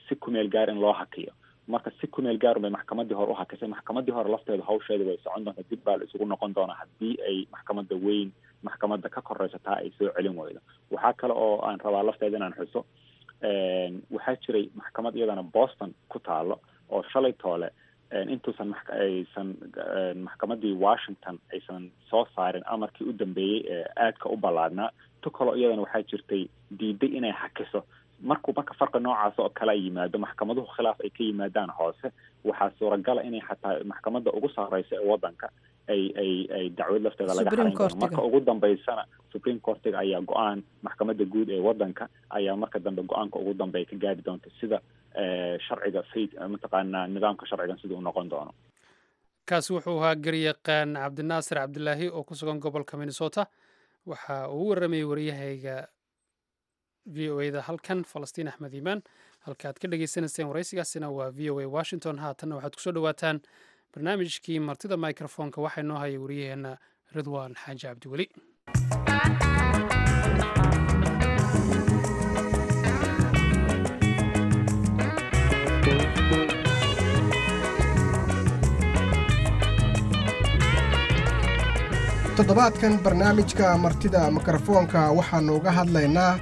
si kumeel gaar in loo hakiyo. Marka si kumeel gaar bay maxkamaddii hore u hakisay. Maxkamaddii hore lafteeda hawsheeda way socon doontaa, dib baa la isugu noqon doonaa haddii ay maxkamadda weyn, maxkamadda ka koreysataa, ay soo celin weydo. Waxaa kale oo aan rabaa lafteeda inaan xuso, waxaa jiray maxkamad iyadana Boston ku taalo oo shalay toole intuusan aysan maxkamaddii Washington aysan soo saarin amarkii u dambeeyey ee aadka u ballaadnaa, tu kaloo iyadana waxaa jirtay diiday inay hakiso. Markuu marka farqi noocaas oo kale ay yimaado, maxkamaduhu khilaaf ay ka yimaadaan hoose, waxaa suuragala inay xataa maxkamadda ugu sarreysa ee waddanka ay dacwad lafteeda laga xarayn doono. Marka ugu dambeysana Supreme Courtiga ayaa go-aan, maxkamadda guud ee waddanka ayaa marka dambe go-aanka ugu dambeeya ka gaari doonta sida sharciga fayd, mataqaanaa, nidaamka sharcigan sida uu noqon doono. Kaasi wuxuu ahaa garyaqaan Cabdinaasir Cabdilaahi oo ku sugan gobolka Minnesota. Waxa uu u waramayey waryahayga VOA da halkan, Falastiin Axmed Iimaan. Halka aad ka dhagaysanayseen waraysigaasina waa VOA Washington. Haatanna waxaad kusoo dhawaataan barnaamijkii martida microfoonka. Waxaa inoo haya waryaheena Ridwaan Xaaji Cabdiweli. Toddobaadkan barnaamijka Martida Mikrofoonka waxaannu uga hadlaynaa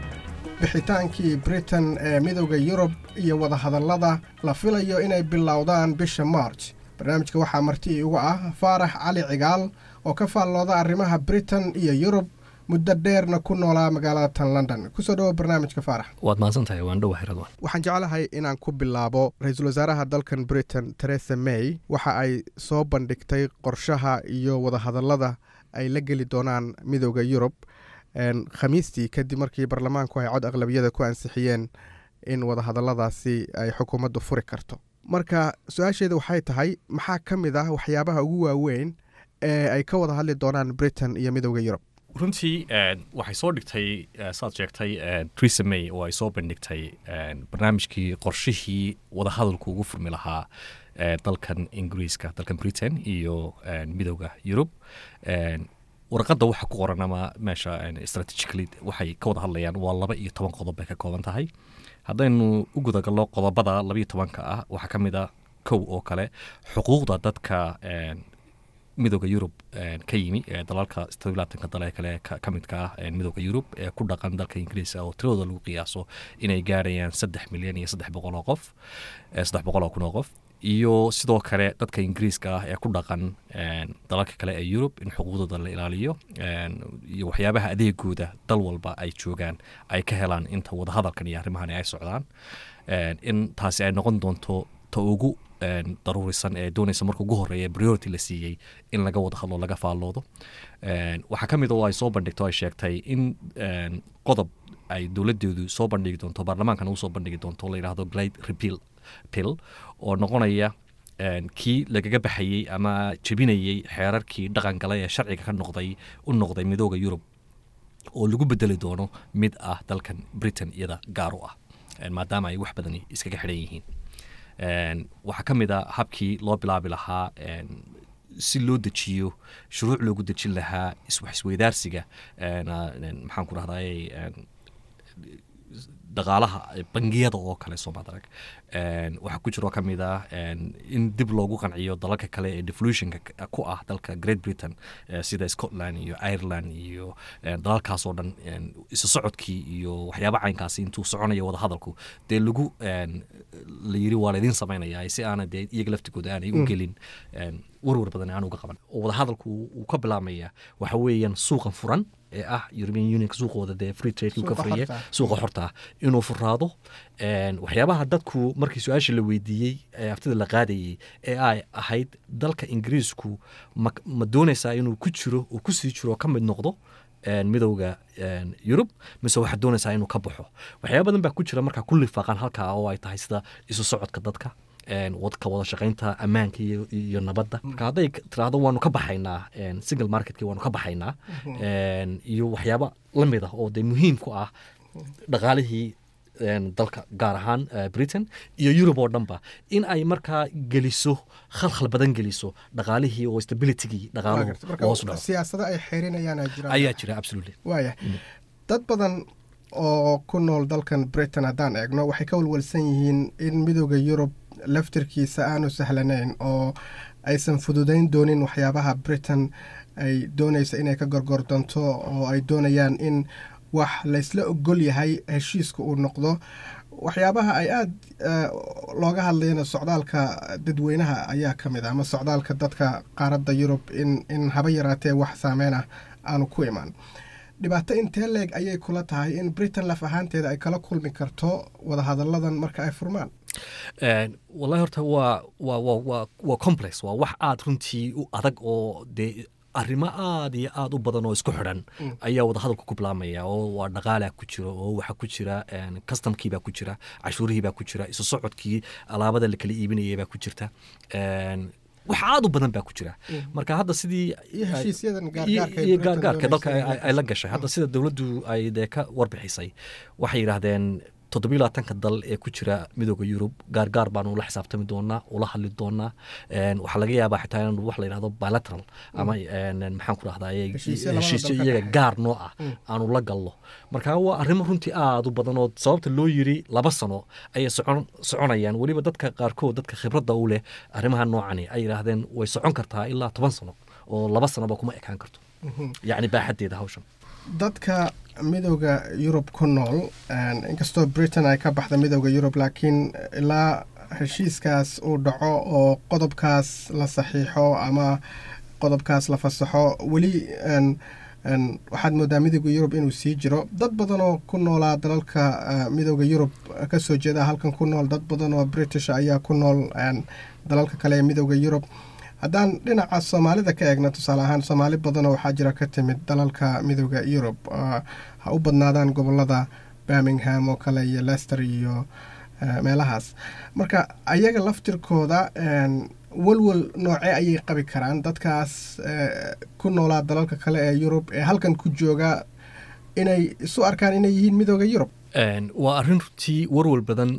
bixitaankii Britain ee Midowda Yurub iyo wadahadallada la filayo inay bilowdaan bisha March. Barnaamijka waxaa marti iigu ah Faarax Cali Cigaal oo ka faallooda arrimaha Britain iyo Yurub, muddo dheerna ku noolaa magaalada tan London. Kusoo dhawo barnaamijka, Faarax. Waad mahadsantahay, waan dhowahay, Radwan. Waxaan jeclahay inaan ku bilaabo ra-iisul wasaaraha dalkan Britain, Theresa May, waxa ay soo bandhigtay qorshaha iyo wadahadallada ay la geli doonaan Midowda Yurub Khamiistii, kadib markii baarlamaanku ay cod aqlabiyada ku ansixiyeen in wadahadalladaasi ay xukuumaddu furi karto. Marka su-aasheeda waxay tahay, maxaa ka mid ah waxyaabaha ugu waaweyn ee ay ka wada hadli doonaan Britain iyo Midowda Yurub? Runtii waxay soo dhigtay, saad sheegtay, Theresa May oo ay soo bandhigtay barnaamijkii, qorshihii wadahadalku ugu furmi lahaa dalkan Ingiriiska, dalkan Britain iyo Midowda Yurub. Warqadda waxa ku qoran ama meesha strategically waxay ka wada hadlayaan waa 12 qodob bay ka kooban tahay. Haddaynu u gudagallo qodobada 12-ka ah, waxaa ka mid a kow oo kale xuquuqda dadka Midowda Yurub ka yimi ee dalalka 27-ka dal ee kale ka midka ah Midowda Yurub ee ku dhaqan dalka Ingiriiska, oo tiradooda lagu qiyaaso inay gaarayaan 3 milyan iyo 300 oo qof, 300,000 oo qof, iyo sidoo kale dadka Ingiriiska ah ee ku dhaqan dalalka kale ee Yurub in xuquuqdooda la ilaaliyo iyo waxyaabaha adeegooda dal walba ay joogaan ay ka helaan inta wadahadalkan iyo arrimahani ay socdaan, in taasi ay noqon doonto ta ugu daruurisan ee doonaysa marka ugu horeeya priority la siiyey in laga wada hadlo, laga faalloodo. Waxaa ka mid oo ay soo bandhigto, ay sheegtay in qodob ay dowladeedu soo bandhigi doonto, baarlamaankana usoo bandhigi doonto, la yidhaahdo Glide Repeal Bill, oo noqonaya kii lagaga baxayey ama jebinayey xeerarkii dhaqan galay ee sharciga ka noqday u noqday Midooda Yurub, oo lagu bedeli doono mid ah dalkan Britain iyada gaar u ah, maadaama ay wax badani iskaga xidhan yihiin. Waxaa ka mid a habkii loo bilaabi lahaa si loo dejiyo shuruuc loogu dejin lahaa iswax isweydaarsiga, maxaan ku rahday, dhaqaalaha bangiyada oo kale soomaad arag. Waxaa ku jiroo ka mid ah in dib loogu qanciyo dalalka kale ee devolutionka ku ah dalka Great Britain, sida Scotland iyo Ireland iyo dalalkaas oo dhan, isu socodkii iyo waxyaaba caynkaasi intuu soconayo wadahadalku dee lagu la yiri waa laydin samaynayaa, si aana dee iyaga laftigooda aanay u gelin warwar badan aan uga qaban. Oo wadahadalku uu ka bilaabmaya waxa weeyaan suuqan furan ee ah European Union, suuqooda dee free trade ka furiye, suuqa xorta ah inuu furaado. Waxyaabaha dadku markii su-aasha la weydiiyey ee aftida la qaadayey ee ay ahayd dalka Ingiriisku ma doonaysaa inuu ku jiro, uu kusii jiro, ka mid noqdo Midowda Yurub, mise waxaad doonaysaa inuu ka baxo? Waxyaaba badan baa ku jira markaa ku lifaaqan halkaa, oo ay tahay sida isu socodka dadka, ka wada shaqaynta ammaanka iyo nabadda. Marka hadday tiraahdo waanu ka baxaynaa single marketkii, waanu ka baxaynaa, iyo waxyaaba la mid ah oo dee muhiim ku ah dhaqaalihii dalka, gaar ahaan Britain iyo Yurub oo dhanba, in ay markaa geliso khalkhal badan, geliso dhaqaalihii oo stabilitygii dhaqaaluhu hoos u dhaco. Siyaasado ay xeerinayaan jira. Ayaa jira, absolutely. Waaya, dad badan oo ku nool dalkan Britain haddaan eegno waxay ka walwalsan yihiin in Midowda Yurub laftirkiisa aanu sahlanayn oo aysan fududayn doonin waxyaabaha Britain ay doonaysa inay ka gorgordonto, oo ay doonayaan in wax laysla ogol yahay heshiiska uu noqdo. Waxyaabaha ay aada looga hadlayana socdaalka dadweynaha ayaa ka mid ah, ama socdaalka dadka qaaradda Yurub, in haba yaraatee wax saameyn ah aanu ku imaan. Dhibaato intee leeg ayay kula tahay in Britain laf ahaanteeda ay kala kulmi karto wadahadalladan marka ay furmaan? Wallahi horta waa complex, waa wax aada runtii u adag, oo dee arrimo aada iyo aada u badan oo isku xidhan ayaa wadahadalku ku bilaabmaya, oo waa dhaqaalaa ku jiro, oo waxaa ku jira customkii baa ku jira, cashuurihii baa ku jira, isu socodkii alaabada la kala iibinayay baa ku jirta, wax aada u badan baa ku jira. Marka hadda sidii iyo gaargaarka dalka ay la gashay, hadda sida dowladdu ay dee ka warbixisay, waxay yidhaahdeen 27-ka dal ee ku jira Midooda Yurub gaargaar baanu ula xisaabtami doonaa, ula hadli doonaa. Waxaa laga yaabaa xitaa inaan wax la yidhahdo bilateral ama maxaan ku rahdaye heshiisyo iyaga gaar noo ah aanu la gallo. Marka waa arrimo runtii aada u badan oo sababta loo yiri 2 sano ayay soconayaan. Weliba dadka qaarkood, dadka khibradda u leh arrimaha noocani, ay yidhaahdeen way socon kartaa ilaa 10 sano. oo 2 sanoba kuma ekaan karto, yacni baaxaddeeda hawshan. Dadka Midowda Yurub ku nool, inkastoo Britain ay ka baxda Midowda Yurub, laakiin ilaa heshiiskaas uu dhaco oo qodobkaas la saxiixo ama qodobkaas la fasaxo, weli waxaad moodaa Midowda Yurub inuu sii jiro. Dad badan oo ku noolaa dalalka Midowda Yurub kasoo jeeda halkan ku nool, dad badan oo British ayaa ku nool dalalka kale ee Midowda Yurub. Haddaan dhinaca Soomaalida ka eegno, tusaale ahaan, Soomaali badanoo waxaa jira ka timid dalalka Midowda Yurub, ha u badnaadaan gobolada Birmingham oo kale iyo Leicester iyo meelahaas. Marka ayaga laftirkooda walwal noocee ayay qabi karaan, dadkaas ku noolaa dalalka kale ee Yurub ee halkan ku jooga, inay isu arkaan inay yihiin Midowda Yurub? Waa arrin runtii warwal badan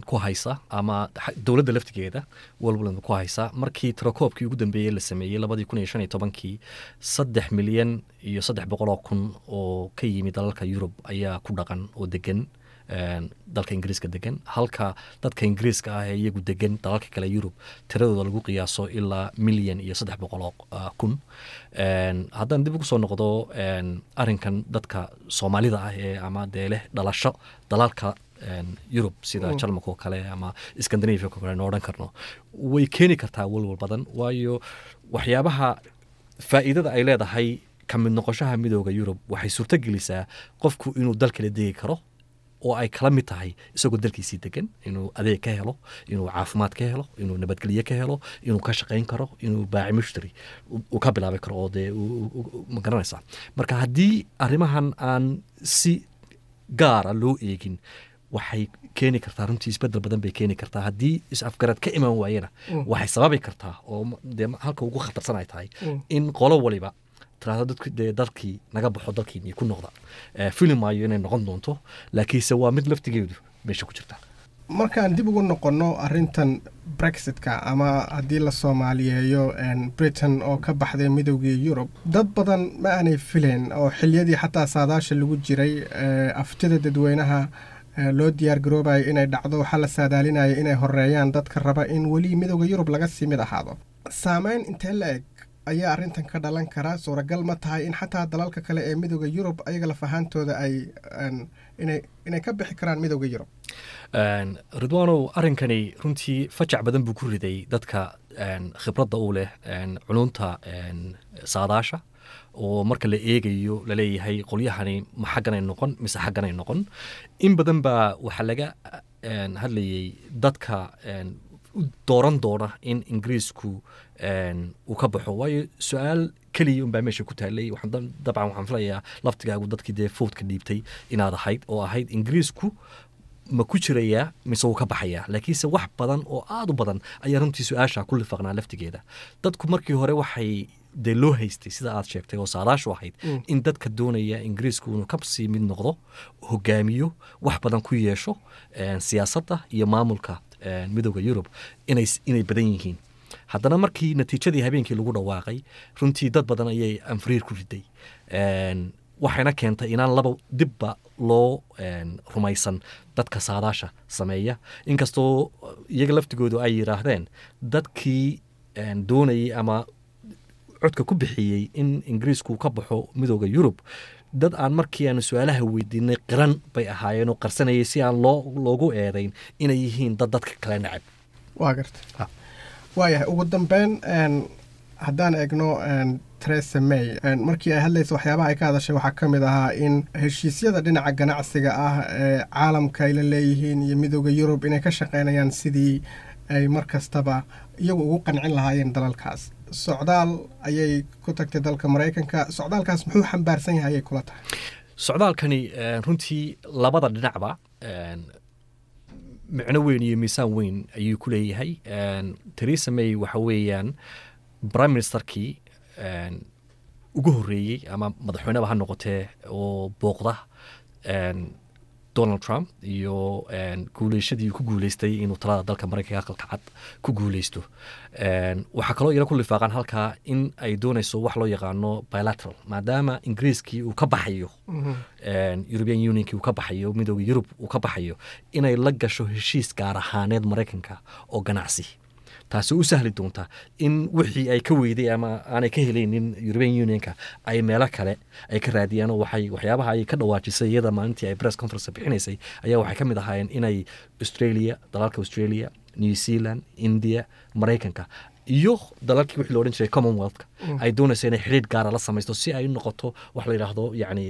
ku haysa ama dowladda laftigeeda warwal badan ku haysa. Markii tirakoobkii ugu dambeeyey la sameeyey 2015-kii, 3,300,000 oo ka yimi dalalka Yurub ayaa ku dhaqan oo degan dalka Ingiriiska degan, halka dadka Ingiriiska ah ee iyagu degan dalalka kale Yurub tiradooda lagu qiyaaso ilaa 1,300,000. Haddaan dib ugu soo noqdo arrinkan dadka Soomaalida ah ee ama dee leh dhalasho dalalka Yurub sida Jarmalka oo kale ama Scandinavia oo kale aynu odhan karno, way keeni kartaa walwal badan, waayo waxyaabaha faa'iidada ay leedahay ka mid noqoshaha Midooda Yurub waxay suurto gelisaa qofku inuu dal kala degi karo oo ay kala mid tahay isagoo dalkiisii degan, inuu adeeg ka helo, inuu caafimaad ka helo, inuu nabadgelye ka helo, inuu ka shaqayn karo, inuu baaci mushtari uu ka bilaabi karo oo dee ma garanaysaa. Marka haddii arrimahan aan si gaara loo eegin, waxay keeni kartaa runtii isbedel badan bay keeni kartaa. Haddii is-afgarad ka iman waayena, waxay sababi kartaa oo dee halka ugu khatarsan ay tahay in qolo waliba tiraahdo dadku dee dalkii naga baxo, dalkiinii ku noqda. Fili maayo inay noqon doonto, laakiinse waa mid laftigeedu meesha ku jirta. Markaan dib ugu noqonno arrintan Brexitka, ama haddii la soomaaliyeeyo Britain oo ka baxday Midoogii Yurub, dad badan ma aanay filayn oo xiliyadii xataa saadaasha lagu jiray aftida dadweynaha loo diyaar garoobayo inay dhacdo, waxaa la saadaalinaya inay horeeyaan dadka raba in weli Midowda Yurub laga sii mid ahaado. Saameyn intee la eg ayaa arrintan ka dhalan karaa? Suuragal ma tahay in xataa dalalka kale ee Midowda Yurub ayaga laf ahaantooda ay inay ka bixi karaan Midowda Yurub? Ridwaanow, arrinkani runtii fajac badan buu ku riday dadka khibradda u leh culunta saadaasha, oo marka la eegayo laleeyahay qolyahani ma xagganay noqon mise xagganay noqon. In badan baa waxaa laga hadlayay dadka u dooran doona in Ingiriisku uu ka baxo, waayo su-aal keliya unbaa meesha ku taalay. Dabcan waxaan filayaa laftigaagu dadkii dee foodka dhiibtay inaad ahayd, oo ahayd Ingiriisku ma ku jirayaa mise wuu ka baxayaa. Laakiinse wax badan oo aada u badan ayaa runtii su-aasha ku lifaaqnaa laftigeeda. Dadku markii hore waxay dee loo haystay, sida aad sheegtay oo saadaashu ahayd, in dadka doonaya Ingiriisku inuu kasii mid noqdo, hogaamiyo, wax badan ku yeesho siyaasadda iyo maamulka Midowda Yurub inay badan yihiin. Haddana markii natiijadii habeenkii lagu dhawaaqay, runtii dad badan ayay anfariir ku riday, waxayna keentay inaan laba dibba loo rumaysan dadka saadaasha sameeya, inkastoo iyaga laftigoodu ay yidhaahdeen dadkii doonayay ama codka ku bixiyey in Ingiriisku ka baxo Midowda Yurub dad aan markii aanu su-aalaha weydiinay qiran bay ahaayeen oo qarsanayay si aan loogu eedayn inay yihiin dad dadka kale nacab. Waa garta, waayahay. Ugu dambeyn, haddaan eegno Theresa May, markii ay hadlaysa waxyaabaha ay ka hadashay waxaa ka mid ahaa in heshiisyada dhinaca ganacsiga ah ee caalamka ay la leeyihiin iyo Midowda Yurub inay ka shaqeynayaan sidii ay mar kastaba iyagu ugu qancin lahaayeen dalalkaas. Socdaal ayay ku tagtay dalka Maraykanka. Socdaalkaas muxuu xambaarsan yahay ayay kula tahay? Socdaalkani runtii labada dhinacba micno weyn iyo miisaan weyn ayuu ku leeyahay. Theresa May waxa weeyaan prime ministerkii ugu horreeyey ama madaxweyneba ha noqotee oo booqda Donald Trump iyo guuleyshadii ku guuleystay inuu talada dalka Maraykanka Aqalka Cad ku guuleysto. Waxaa kaloo iyana ku lifaaqan halkaa in ay doonayso wax loo yaqaano bilateral, maadaama Ingiriiskii uu ka baxayo European Unionkii, uu ka baxayo Midooda Yurub uu ka baxayo, inay la gasho heshiis gaar ahaaneed Maraykanka oo ganacsi. Taasi u sahli doonta in wixii ay ka weyday ama aanay ka helaynin European Unionka ay meelo kale ay ka raadiyaan. Oo waxay waxyaabaha ay ka dhawaajisay iyada maalintii ay press conference bixinaysay ayaa waxay ka mid ahaayeen inay Australia, dalalka Australia, New Zealand, India, Maraykanka iyo dalalkii wixii la odhan jiray Commonwealthka ay doonayso inay xidhiidh gaara la samaysto, si ay u noqoto wax la yidhaahdo yacni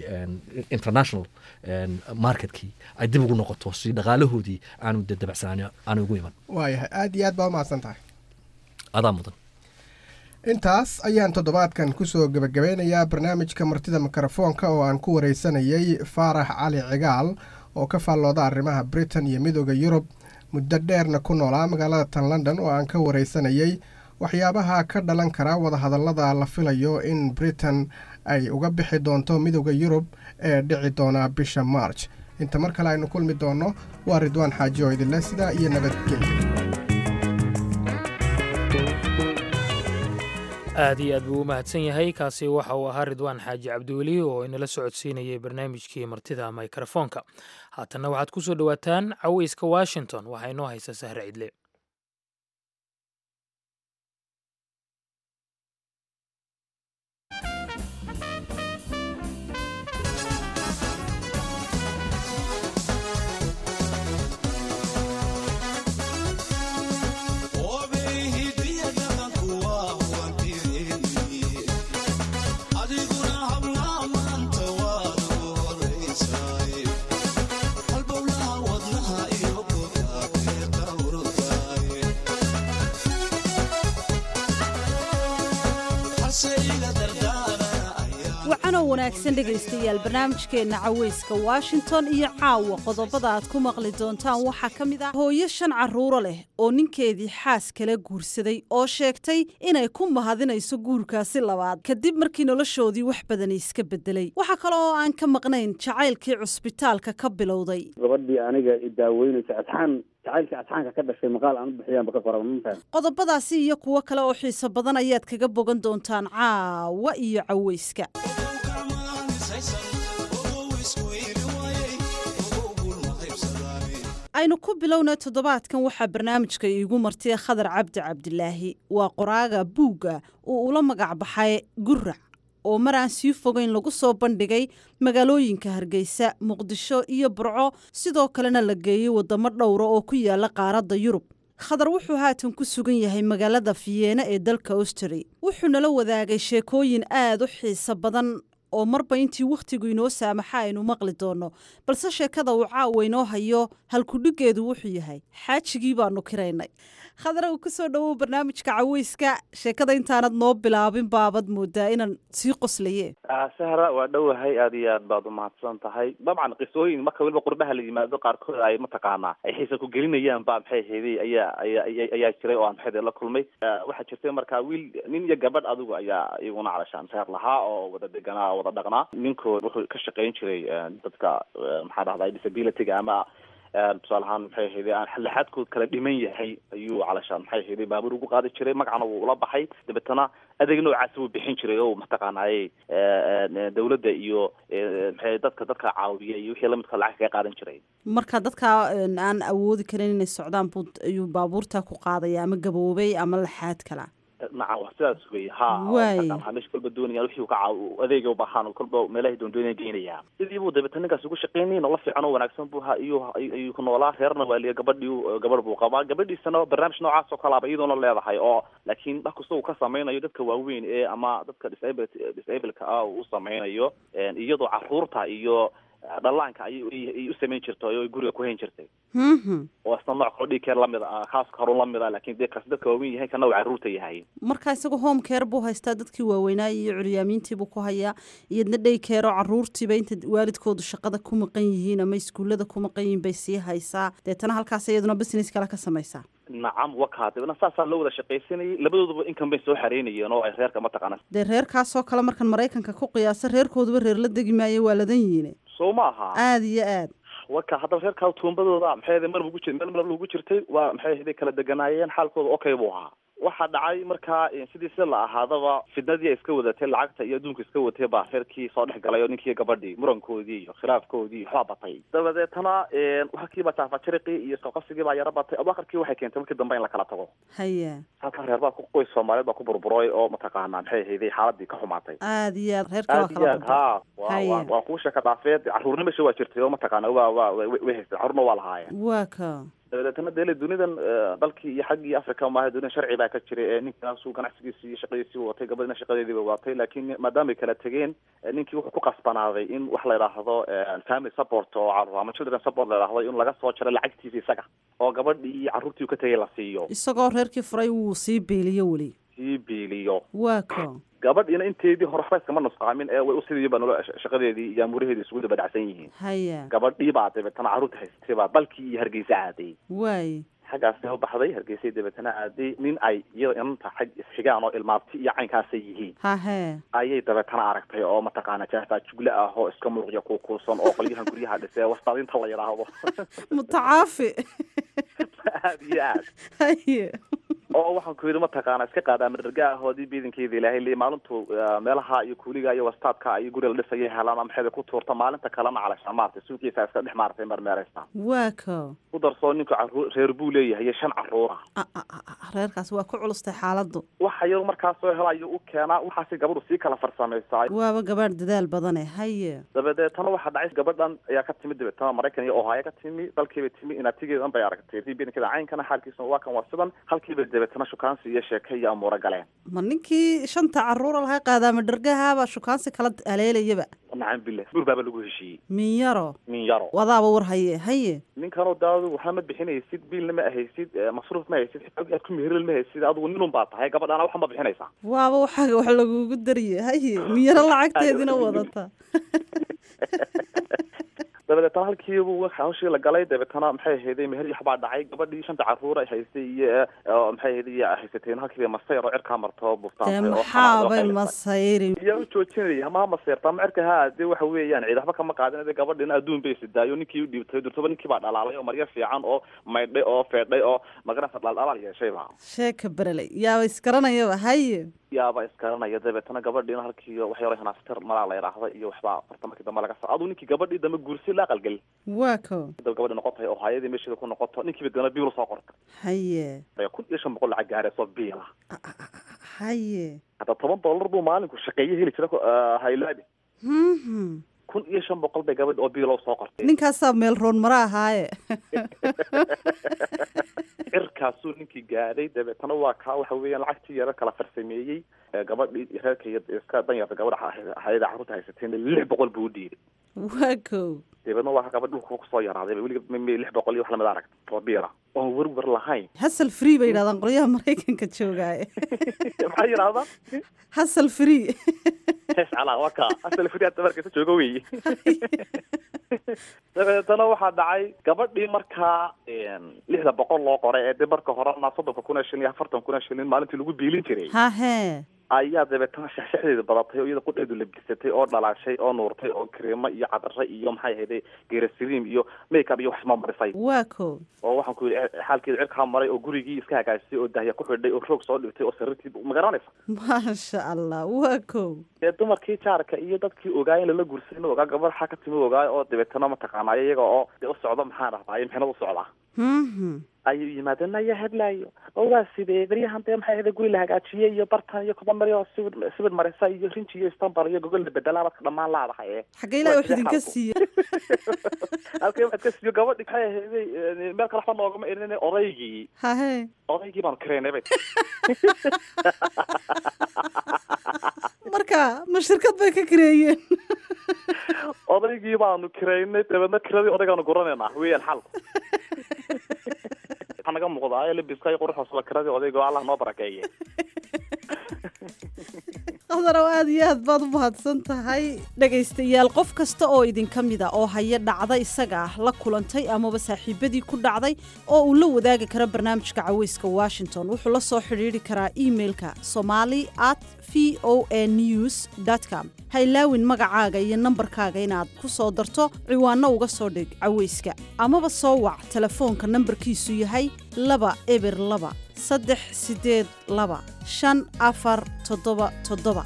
international marketkii ay dib ugu noqoto, si dhaqaalahoodii aanu de dabacsanaan aanu ugu iman. Waayahay, aad iyo aad baa umahadsan tahay. Adaa mudan. Intaas ayaan toddobaadkan kusoo gebagabeynayaa barnaamijka Martida Mikrofoonka oo aan ku wareysanayay Faarax Cali Cigaal oo ka faallooda arrimaha Britain iyo Midooda Yurub, muddo dheerna ku noolaa magaalada tan London, oo aan ka wareysanayay waxyaabaha ka dhalan kara wadahadallada la filayo in Britain ay uga bixi doonto Midooda Yurub ee dhici doona bisha March. Inta mar kale aynu kulmi doonno, waa Ridwaan Xaaji oo idinleh sidaa iyo nabadgelyo. Aad iyo aad buu u mahadsan yahay. Kaasi waxa uu ahaa Ridwaan Xaaji Cabdiweli oo inala socodsiinayay barnaamijkii Martida Mikrofoonka. Haatanna waxaad ku soo dhowaataan Caweyska Washington. Waxaa inoo haysa Sahre Cidle. Wacanoo wanaagsan dhegaystayaal, barnaamijkeenna Caweyska Washington iyo caawa qodobada aad ku maqli doontaan waxaa ka mid ah hooyo shan carruuro leh oo ninkeedii xaas kala guursaday oo sheegtay inay ku mahadinayso guurkaasi labaad kadib markii noloshoodii wax badani iska bedelay. Waxaa kale oo aan ka maqnayn jacaylkii cusbitaalka ka bilowday. Gabadhii aniga i daaweynaysa, asxaan jacaylkii asxaanka ka dhashay, maqaal aan u bixiyaanba ka qoran, ma fahan. Qodobadaasi iyo kuwo kale oo xiiso badan ayaad kaga bogan doontaan caawa iyo caweyska. Aynu ku bilowna toddobaadkan waxaa barnaamijka iigu martay Khadar Cabdi Cabdilaahi. Waa qoraaga buugga uu ula magac baxay Gurac, oo mar aan sii fogeyn lagu soo bandhigay magaalooyinka Hargeysa, Muqdisho iyo Burco, sidoo kalena la geeyey waddamo dhowra oo ku yaala qaaradda Yurub. Khadar wuxuu haatan ku sugan yahay magaalada Fiyeena ee dalka Austri. Wuxuu nala wadaagay sheekooyin aad u xiiso badan oo marba intii wakhtigu inoo saamaxa aynu maqli doonno, balse sheekada uu caawa inoo hayo halkudhigeedu wuxuu yahay "Xaajigii baanu kiraynay". Khadar, kusoo dhowow barnaamijka Caweyska. Sheekada intaanad noo bilaabin baabad moodaa inaan sii qoslaye. Sahra, waa dhowahay, aad iyo aad baad umahadsan tahay. Dabcan qisooyin marka weliba qurbaha la yimaado qaarkood ay mataqaanaa ay xiisa ku gelinayaan ba maxay hayday ayaa jiray oo aan maxay la kulmay. Waxaa jirtay markaa wiil, nin iyo gabadh adigu ayaa iyaguna calashaan reer lahaa oo wada deganaa oo wada dhaqnaa. Ninkooda wuxuu ka shaqayn jiray dadka maxaa dhahday disability-ga ama tusaale ahaan maxay ahayday aan laxaadkood kala dhiman yahay ayuu calashaan maxay ahayday baabuur ugu qaadi jiray, magacana wuu ula baxay. Dabeetana adeeg noocaasi wuu bixin jiray oo mataqaanaaye dawladda iyo maxay dadka caawiya iyo wixii lamidka lacag kaga qaadan jiray. Marka dadka aan awoodi karin inay socdaan buu ayuu baabuurta ku qaadaya, ama gaboobay ama laxaad kala. Nacam, wax sidaas wey, ha. Waay. Meesha kolba doonayaan wixii ka caaw adeega u baahan oo kolba meelahay doondoonaya geynaya. Sidii buu dabeetana ninkaas ugu shaqaynayay. Nolol fiican oo wanaagsan buu ha iyo ayuu ku noolaa. Reerna waa liya, gabadhii gabadh buu qabaa, gabadhiisana barnaamij noocaas oo kalaaba iyadoona leedahay, oo laakiin wax kasta uu ka samaynayo dadka waaweyn ee ama dadka disableka ah uu u samaynayo, iyadoo caruurta iyo dhallaanka ayay u samayn jirtay oo guriga ku hayn jirtay, oo isna nooc kaloo daycare lamid ah, kaaska harun lamid ah, laakiin dee kaas dadka waaweyn yahay, kana uu carruurta yahay. Marka isagu home care buu haystaa, dadkii waaweynaa iyo curyaamiintii buu ku hayaa, iyadna day care oo caruurtiiba inta waalidkoodu shaqada ku maqan yihiin ama iskuullada ku maqan yihiin bay sii haysaa. Deetana halkaas iyaduna business kale ka samaysaa. Nacam, wakaa. Dabna saasaa loo wada shaqaysanayay. Labadooduba inkan bay soo xareynayeen oo ay reerka mataqaana. Dee reerkaasoo kale markan Maraykanka ku qiyaasa, reerkooduba reer la degi maayo, waa ladan yihiin. Soo ma aha? Aada iyo aad. Waka haddaba reerkaa tuumbadooda maxay ahayd mar ugu jir meel mar ugu jirtay, waa maxay ahayd kala deganaayeen, xaalkooda okay buu ahaa. Waxaa dhacay markaa sidii sida la ahaadaba fidnadii ay iska wadatay lacagta iyo adduunka iska watay baa reerkii soo dhex galay oo ninkii gabadhii murankoodii iyo khilaafkoodii iyo waxbaa batay. Dabadeetana halkiibaa jaafajariqii iyo isqabqabsigii baa yaro batay. Abakarkii waxay keentay markii dambe in la kala tago. Halkan reer baa ku qoys Soomaaliyeed baa ku burburay oo mataqaanaa maxay ahayday xaaladii ka xumaatay. Aad iyo aad, reerka waa Aad iyo kala aad burburay. Ha waa kuwa sheeka dhaafeed. Carruurna meesha waa jirtay oo mataqaana waa way haystay, carruurna waa lahaayeen. Waa ka. Dabadeetana dele dunidan dalkii iyo xaggii Africa maaha, dunidan sharci baa ka jiray ee ninkaasuu ganacsigiisii iyo shaqadiisii watay, gabadhina shaqadeedii bay watay, laakiin maadaamay kala tegeen ninkii wuxuu ku qasbanaaday in wax la yidhaahdo family support oo carruur ama children support la yidhaahdo in laga soo jaro lacagtiisa isaga oo gabadhii iyo carruurtii uu ka tegay la siiyo. Isagoo reerkii furay wuu sii biiliyo weli. Sii biiliyo. Waa ka. Gabadhiina inteedii hore waxba iskama nusqaamin ee way usidii ba nolo shaqadeedii iyo amuuraheedii isugu daba dhacsan yihiin. Gabadhii baa dabeetana carruurta haysatay baa dalkii iyo Hargeysa aaday. Xaggaasay u baxday, Hargeysay dabeetana aaday. Nin ay iyada inanta xag isxigaan oo ilmaabti iyo caynkaasay yihiin ayay dabeetana aragtay oo mataqaana jaafaa jugle ah oo iska muruqya kuukuusan oo qolyahan guryaha dhisee wastaadinta la yidhaahdo. Mutacaafi. Aad iyo aad. Oo waxaan ku yidhi mataqaana iska qaadaa madarga ahoodii biidankeeda Ilaahay leeyahay maalintu meelaha iyo kuuliga iyo wastaadka iyo guriga la dhisaya helaan ama maxayda ku tuurta, maalinta kalena calashaan maartay suuqiisa iska dhex maartay marmeeraysta. Waa ka. Ku darsoo ninku carruur reer buu leeyahay iyo 5 carruura. Reerkaas waa ku culustay xaaladdu. Waxa iyadu markaa soo helayo u keenaa, waxaasi gabadhu sii kala farsamaysaa. Waaba gabadh dadaal badane, haye. Dabadeetana waxaa dhacay gabadhan ayaa ka timid dabeetana Maraykan iyo Ohio ka timi, dalkiibay timi, inaatigeedan bay aragtay biidankeeda caynkana xaalkiisuna waa kan waa sidan. Halkiibay dabeetana shukaansi iyo sheeke iyo amuuro galeen. Ma ninkii shanta carruura laga qaadaa madhargahaabaa shukaansi kala aleelayaba? Nacam billah, buur baaba lagu heshiiyey. Minyaro. Minyaro. Wadaaba war haye, haye. Ninkanoo daadu waxba ma bixinaysid, biilna ma ahaysid, masruuf ma haysid, xitaa aad ku meheril ma haysid, adigu ninun baa tahay, gabadhana waxa ma bixinaysaa. Waaba waxaaga wax lagugu dariye, haye, minyaro lacagteedina wadata. Dabadeetana halkiibu hawshii la galay, dabeetana maxay ahayday meher iyo waxbaa dhacay. Gabadhii shanta carruur ay haystay iyo maxay ahayday iyo haysateen halkiiba masayr oo cirkaa marto Dee buftaantay oo maxaabay masayri? Iyo u joojinaya ma maseyrta ama cirka ha dee waxa weeyaan ciid waxba kama qaadin dee gabadhina adduun bay sidaayo ninkii u dhiibtay durtaba ninkii baa dhalaalay oo maryo fiican oo maydhay oo feedhay oo magaranaysa dhaldhalaal yeeshayba. Sheeka bereley, yaaba isgaranayaba, haye. Yaaba iskaranaya. Dabeetana gabadhiina halkii wax yaro hanaastir malaa la yidhaahda iyo waxbaa farta markii dambe laga sa aduu ninkii gabadhii dambe guursi la aqalgelin. Waa ko. Gabadhi noqotay oo hayadii meesheeda ku noqoto, ninkiiba dana biil soo qortay. 1500 lacag gaarayso biila. Hadda $10 buu maalinku shaqeeye heli jira haylaabi. 1500 bay gabadh oo biilow soo qortay. Ninkaasaa meel roon mara ahaaye. Cirkaasuu ninkii gaadhay. Dabeetana waa kaa waxa weeyaan lacagtii yaro kala farsameeyey gabadhii reerka iyo iska danyarta gabadha hayada carruurta haysatayna 600 buu u dhiibay. Waa ko. Dabeedna waa gabadh dhulka kusoo yaraaday weliga 600 iyo wax lamid arag oo biila oon werwer lahayn. Hasal free bay yidhahdaan qolyaha Maraykanka joogaaye. Maxay yidhahdaan? Hasal free. Hees calaa waa kaa asal free hadda markaysa jooga weeye. Dabeetana waxaa dhacay gabadhii markaa 600 loo qoray ee dee marka horena 30,000 oo shilin iyo 40,000 oo shilin maalintii lagu biilin jiray ayaa dabeetana shaxshaxdeedu badatay oo iyada qudheedu labisatay oo dhalaashay oo nuurtay oo kareemo iyo cadare iyo maxay ahayday geerasiriim iyo makeup iyo wax ma marisay. Waa ko. Oo waxaan ku yidhi xaalkeedu cirkaa maray oo gurigii iska hagaajisay oo dahya ku xidhay oo roog soo dhigtay oo sariirtii ma garanaysa. Maasha Allah, waa ko. Dee dumarkii jaarka iyo dadkii ogaa in lala guursaday ma ogaa gabadh xaa ka timi ogaa oo dabeetana mataqaanaa iyaga oo dee u socda maxaan dhahdaa mixnad u socdaa ayuu yimaadeen ayaa heblaayo oo waa sidee beryahan dee maxay ahayd guri la hagaajiyey iyo bartan iyo kuba mari oo sibid sibid marisa iyo rinji iyo istanbal iyo gogol la bedelaa dadka dhammaan laadahay ee Xagga Ilaahay wax idinka siiye. Halkay waxaad ka siiyo gabadhi maxay ahayd meel kale waxba noogama irin odaygii. Odaygii baanu kireynay bay. Marka ma shirkad bay ka kireeyeen? Odaygii baanu kireynay, dabeedna kiradii odaygaanu guranaynaa weeyaan xalku. Waxaa naga muuqdaa ee labiska iyo quruxda kiradii odayga oo Allah noo barakeeye. Qadarow, aad iyo aad baad u mahadsan tahay. Dhegaystayaal, qof kasta oo idinka mida oo haya dhacda isaga ah la kulantay amaba saaxiibadii ku dhacday oo uu la wadaagi karo barnaamijka Caweyska Washington, wuxuu la soo xidhiidhi karaa emailka somali at v o a news com. Ha ilaawin magacaaga iyo nambarkaaga inaad ku soo darto ciwaanno uga soo dhig caweyska amaba soo wac telefoonka nambarkiisu yahay 2 0 2 3 8 2 5 4 7 7.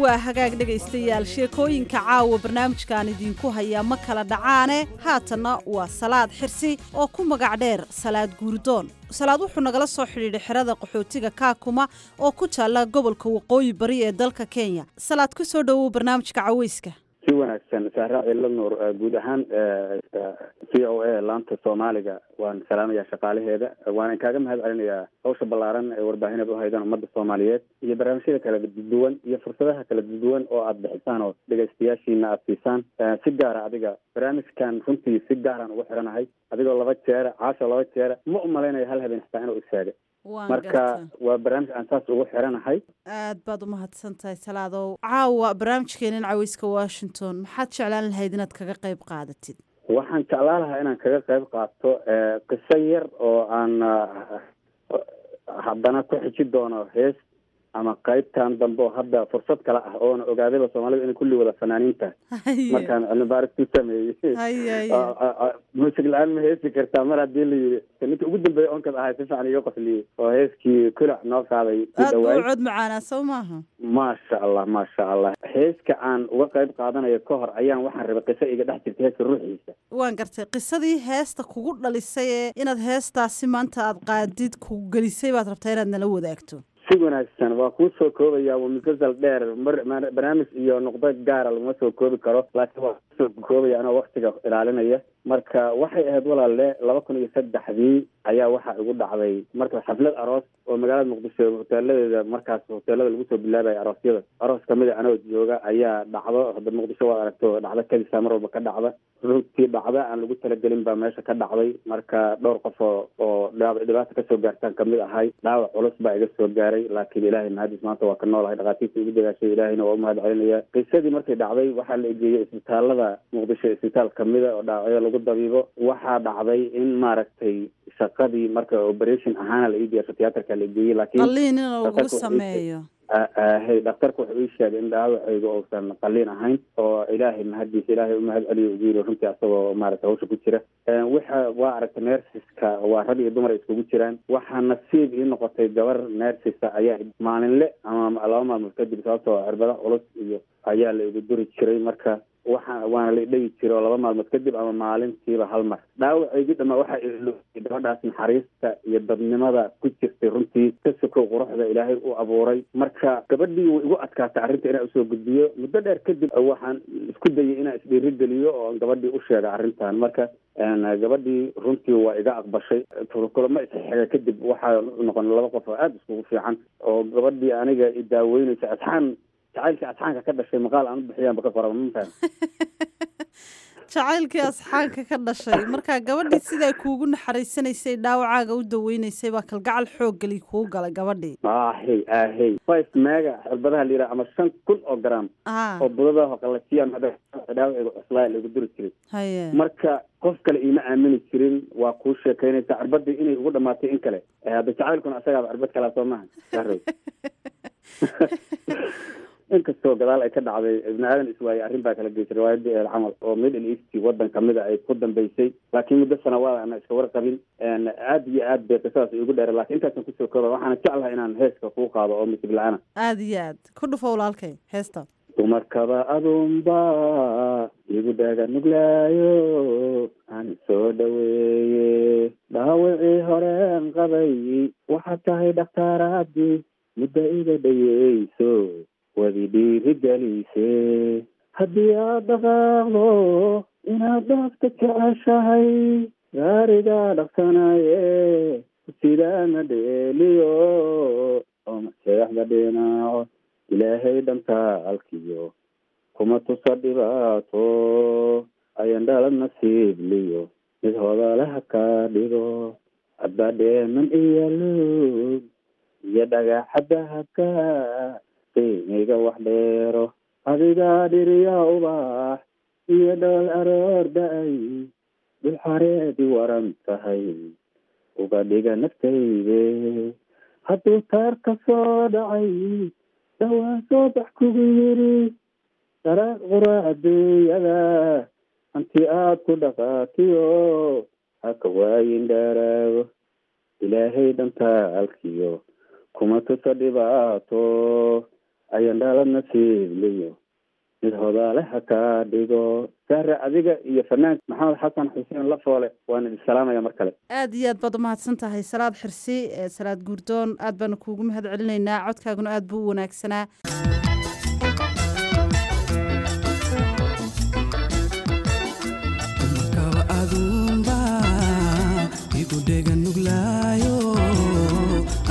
Waa hagaag dhegaystayaal, sheekooyinka caawa barnaamijkan idinku hayaa ma kala dhacaane. Haatanna waa Salaad Xirsi oo ku magac dheer Salaad Guurdoon. Salaad wuxuu nagala soo xidhiidhay xerada qaxootiga Kaakuma oo ku taalla gobolka Waqooyi Bari ee dalka Kenya. Salaad, ku soo dhowow barnaamijka caweyska. Si wanaagsan, Sahra Cilla Nuur. Guud ahaan VOA laanta Soomaaliga waan salaamayaa shaqaalaheeda, waana kaaga mahad celinayaa hawsha ballaaran ee warbaahinad u haydaan ummadda Soomaaliyeed iyo barnaamijyada kala duwan iyo fursadaha kala duwan oo aad bixisaan oo dhegaystayaashiina aad siisaan. Si gaara adiga barnaamijkan runtii si gaaraan ugu xiranahay, adigoo 2 jeera caasho 2 jeera ma u malaynayo hal habeen xitaa inuu isheegay. Marka waa barnaamij aan saas ugu xiranahay. Aad baad umahadsan tahay Salaadow. Caawa barnaamijkeenan caweyska Washington maxaad jeclaan lahayd inaad kaga qayb qaadatid? Waxaan jeclaan lahaa inaan kaga qayb qaato qiso yar oo aan haddana ku xiji doono hees ama qaybtan dambe oo hadda fursad kale ah oona ogaadayba Soomaalida inay kulli wada fanaaniin tahay. Markaan cilmi baaris ku sameeyey, muusig la-aan ma heesi kartaa mar haddii la yiri, ninka ugu dambeeya onkad ahay si fiican iga qosliyey oo heeskii kulac noo qaaday. Aad buu cod macaanaa, soo maaha? Maasha Allah, maasha Allah. Heeska aan uga qayb qaadanayo ka hor ayaan waxaan rabay qiso iga dhex jirta heeska ruuxiisa. Waan gartay. Qisadii heesta kugu dhalisay ee inaad heestaasi maanta aad qaadid ku gelisay baad rabtaa inaad nala wadaagto. Si wanaagsan, waa kuu soo koobaya. Waa musalsal dheer, mar barnaamij iyo nuqdo gaara laguma soo koobi karo, laakiin waa kusoo koobaya anoo waktiga ilaalinaya. Marka waxay ahayd walaalle 2003dii ayaa waxaa igu dhacday marka xaflad aroos oo magaalada Muqdisho hoteeladeeda, markaas hoteelada lagu soo bilaabaya aroosyada, aroos kamid a anoo jooga ayaa dhacdo. Hadda Muqdisho waad aragto, dhacdo kadisa mar walba ka dhacda. Runtii dhacda aan lagu talagelin baa meesha ka dhacday. Marka dhowr qof oo dhibaata kasoo gaartaan kamid ahay, dhaawac culus baa iga soo gaaray, laakiin Ilaahay mahadis maanta waa ka noolahay. Dhakhaatiirta igu dagaashay, Ilaahayna waa u mahad celinaya. Qisadii markay dhacday waxaa la egeeyey isbitaalada Muqdisho, isbitaal kamida oo dhaawacyada lagu dabiibo. Waxaa dhacday in maaragtay shaqadii marka operation ahaana la ii diyaarsho, tiyaatarka la geeyey, laakiin qalliin in lagu sameeyo. Hay, dhakhtarku wuxuu ii sheegay in dhaawacayga uusan qalliin ahayn oo Ilaahay mahadiisa, Ilaahay u mahad celiyo ugu yiri runtii asagoo maaragtay hawsha ku jira. Waxa waa aragtay nersiska waa rag iyo dumar iskugu jiraan. Waxaa nasiib ii noqotay gabar nersisa ayaa maalinle ama 2 maalmood kadib, sababtoo cirbada culus iyo ayaa la igu duri jiray. Marka waxa waana la idhegi jiray oo 2 maalmood kadib ama maalintiiba hal mar. Dhaawacaygii dhamaa waxaa ilooyay gabadhaas naxariista iyo dadnimada ku jirtay runtii ka sokow quruxda Ilaahay u abuuray. Marka gabadhii way igu adkaatay arrinta inaan usoo gudbiyo. Muddo dheer kadib waxaan isku dayay inaan isdhiirigeliyo oo gabadhii u sheega arrintan. Marka gabadhii runtii waa iga aqbashay. Kulamo isxiga kadib waxaa noqon 2 qof oo aada iskugu fiican oo gabadhii aniga i daaweynaysa asxaan jacaylkii asxaanka ka dhashay maqaal aan u bixiyaanba ka qora, ma fahan? Jacaylkii asxaanka ka dhashay. Marka gabadhii sidaa kuugu naxariisanaysay, dhaawacaaga u daweynaysay, baa kalgacal xooggali kuu galay gabadhii. Ahey ahey, 5 mega cirbadaha la yidhaha ama 5000 oo gram oo budadaha qalajiyaan dhaawacayga cuslaa lagu duri jiray. Marka qof kale iima aamini jirin, waa kuu sheekaynaysaa cirbadii inay ugu dhamaatay in kale. Hadda jacaylkuna asagaaba cirbad kalaa, soo maaha? Inkastoo gadaal ay ka dhacday Ibni Aadan Iswaaye, arrin baa kala geysay riwaayadii eel camal oo Middle East waddan kamida ay ku dambeysay, laakiin muddo sanawaad ana iska warqabin. Aad iyo aad bay qisadaas iigu dheera, laakiin intaasaan kusoo kooba. Waxaana jeclahay inaan heeska kuu qaado oo misib la-aana. Aada iyo aad ku dhufo walaalkay heesta. Dumarkaba adunba igu dhaga nuglaayo, aan soo dhaweeye dhaawacii horeen qabay. Waxaad tahay dhakhtaaraadii muddo iga dhayeyso, wadi dhiiri gelise. Haddii aad dhaqaaqdo inaad dhaafta jeceshahay, gaarigaa dhaqsanaye sidaana dheeliyo oo maseexda dhinaaco. Ilaahay dhantaalkiyo kuma tusa dhibaato, ayan dhalad nasiibliyo mid hodalaha ka dhigo. Abadheeman iyo luug iyo dhagaxa dahabka qiimiga wax dheero, adigaa dhiriya ubax iyo dhool aroor da-ay, dhul xareedi waran tahay uga dhiga naftayde. Hadduu taar ka soo dhacay dhawaan soo bax kugu yiri, daraaq qura adduunyada hanti aad ku dhaqaatiyo haka waayin dheeraago. Ilaahay dhantaalkiyo kuma tusa dhibaato, ayan dhalad nasiibliyo mid hodaale ha kaa dhigo. Sahre, adiga iyo fanaanka Maxamed Xasan Xuseen Lafoole waan idin salaamaya mar kale. Aad iyo aad baad umahadsan tahay Salaad Xirsi, Salaad Guurdoon. Aad baanu kuugu mahad celinaynaa, codkaaguna aad buu u wanaagsanaa. Kaba adunba igu dhega nuglaayo,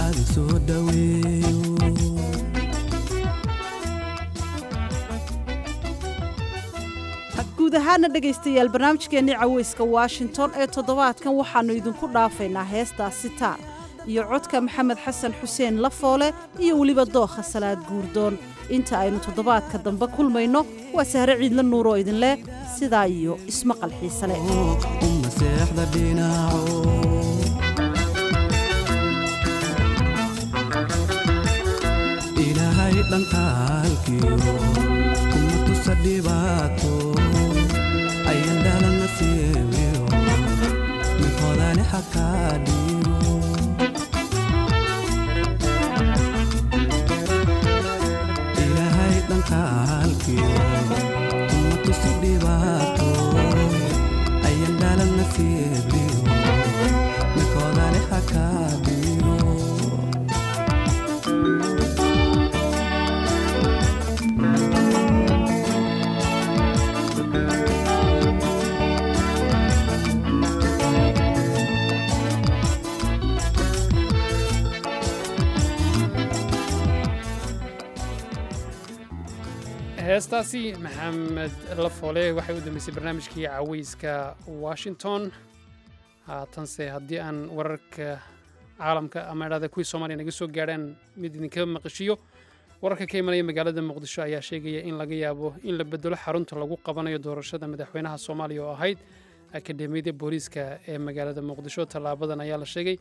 aadi soo dhaweeyo. Guud ahaana dhegaystayaal, barnaamijkeennii Caweyska Washington ee toddobaadkan waxaannu idinku dhaafaynaa heestaasi Taar iyo codka Maxamed Xasan Xuseen Lafoole iyo weliba dookha Salaad Guurdoon. Inta aynu toddobaadka dambe kulmayno, waa Sahre Ciidla Nuur oo idinleh sidaa iyo ismaqal xiise leh. Maseexda dhinaco Ilaahay dhantaalkiyo kuma tusa dhibaato, ayan dhalan nasiibiyo mid hodane ha kaa dhigo. Ilaahay dhantaalkiyo kuma tusa dhibaato, ayan dhalan nasiibiyo mid hodane ha kaa dhigo. Heestaasi Maxamed Lafoole waxay u dambeysay barnaamijkii Caweyska Washington. Haatanse haddii aan wararka caalamka ama idhahda kuwii Soomaaliya naga soo gaadhaan mid idinka maqashiyo, wararka ka imanaya magaalada Muqdisho ayaa sheegaya in laga yaabo in la bedelo xarunta lagu qabanayo doorashada madaxweynaha Soomaaliya oo ahayd Akademiyada Booliiska ee magaalada Muqdisho. Tallaabadan ayaa la sheegay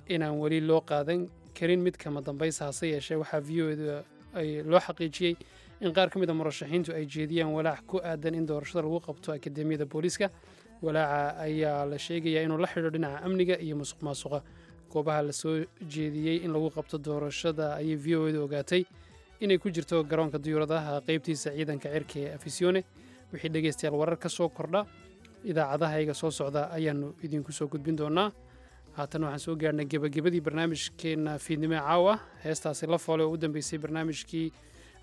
inaan weli loo qaadan karin mid kama dambaysa, hase yeeshee waxaa VOA da ay loo xaqiijiyey in qaar ka mid a murashaxiintu ay jeediyaan walaac ku aadan in doorashada lagu qabto Akademiyada Booliiska. Walaaca ayaa la sheegayaa inuu la xidho dhinaca amniga iyo musuq maasuqa. Goobaha la soo jeediyey in lagu qabto doorashada ayay VOA da ogaatay inay ku jirto garoonka diyuuradaha qeybtiisa ciidanka cirka ee Afisione. Wixii dhegaystayaal warar ka soo kordha, idaacadahayga soo socda ayaannu idinku soo gudbin doonaa. Haatan waxaan soo gaarhnay gebagabadii barnaamijkeenna fiidnimo ee caawa. Heestaasi La Foole oo u dambeysay barnaamijkii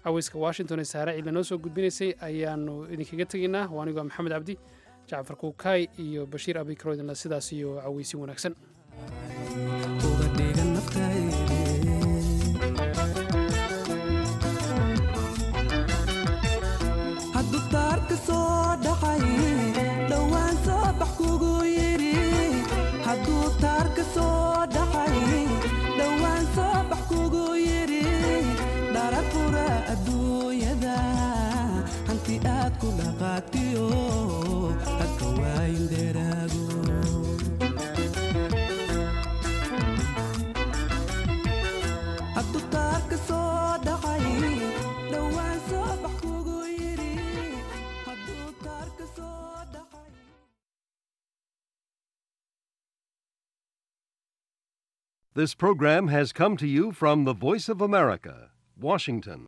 Caweyska Washington ee Saare Ciidla noo soo gudbinaysay ayaannu idinkaga tegaynaa. Waa anigoo Maxamed Cabdi, Jacfar Kuukaay iyo Bashiir Abikaro idinla sidaas iyo caweysin wanaagsan. Uga dhiga naftayde. Hadduu taarka soo dhacay dhowaan soo bax kugu yidhi, hadduu taarka soo dhacay dhowaan soo bax kugu yidhi, dharar qura adduunyada hanti aad ku dhaqaatiyo haka waayin dheeraago. This program has come to you from the Voice of America, Washington.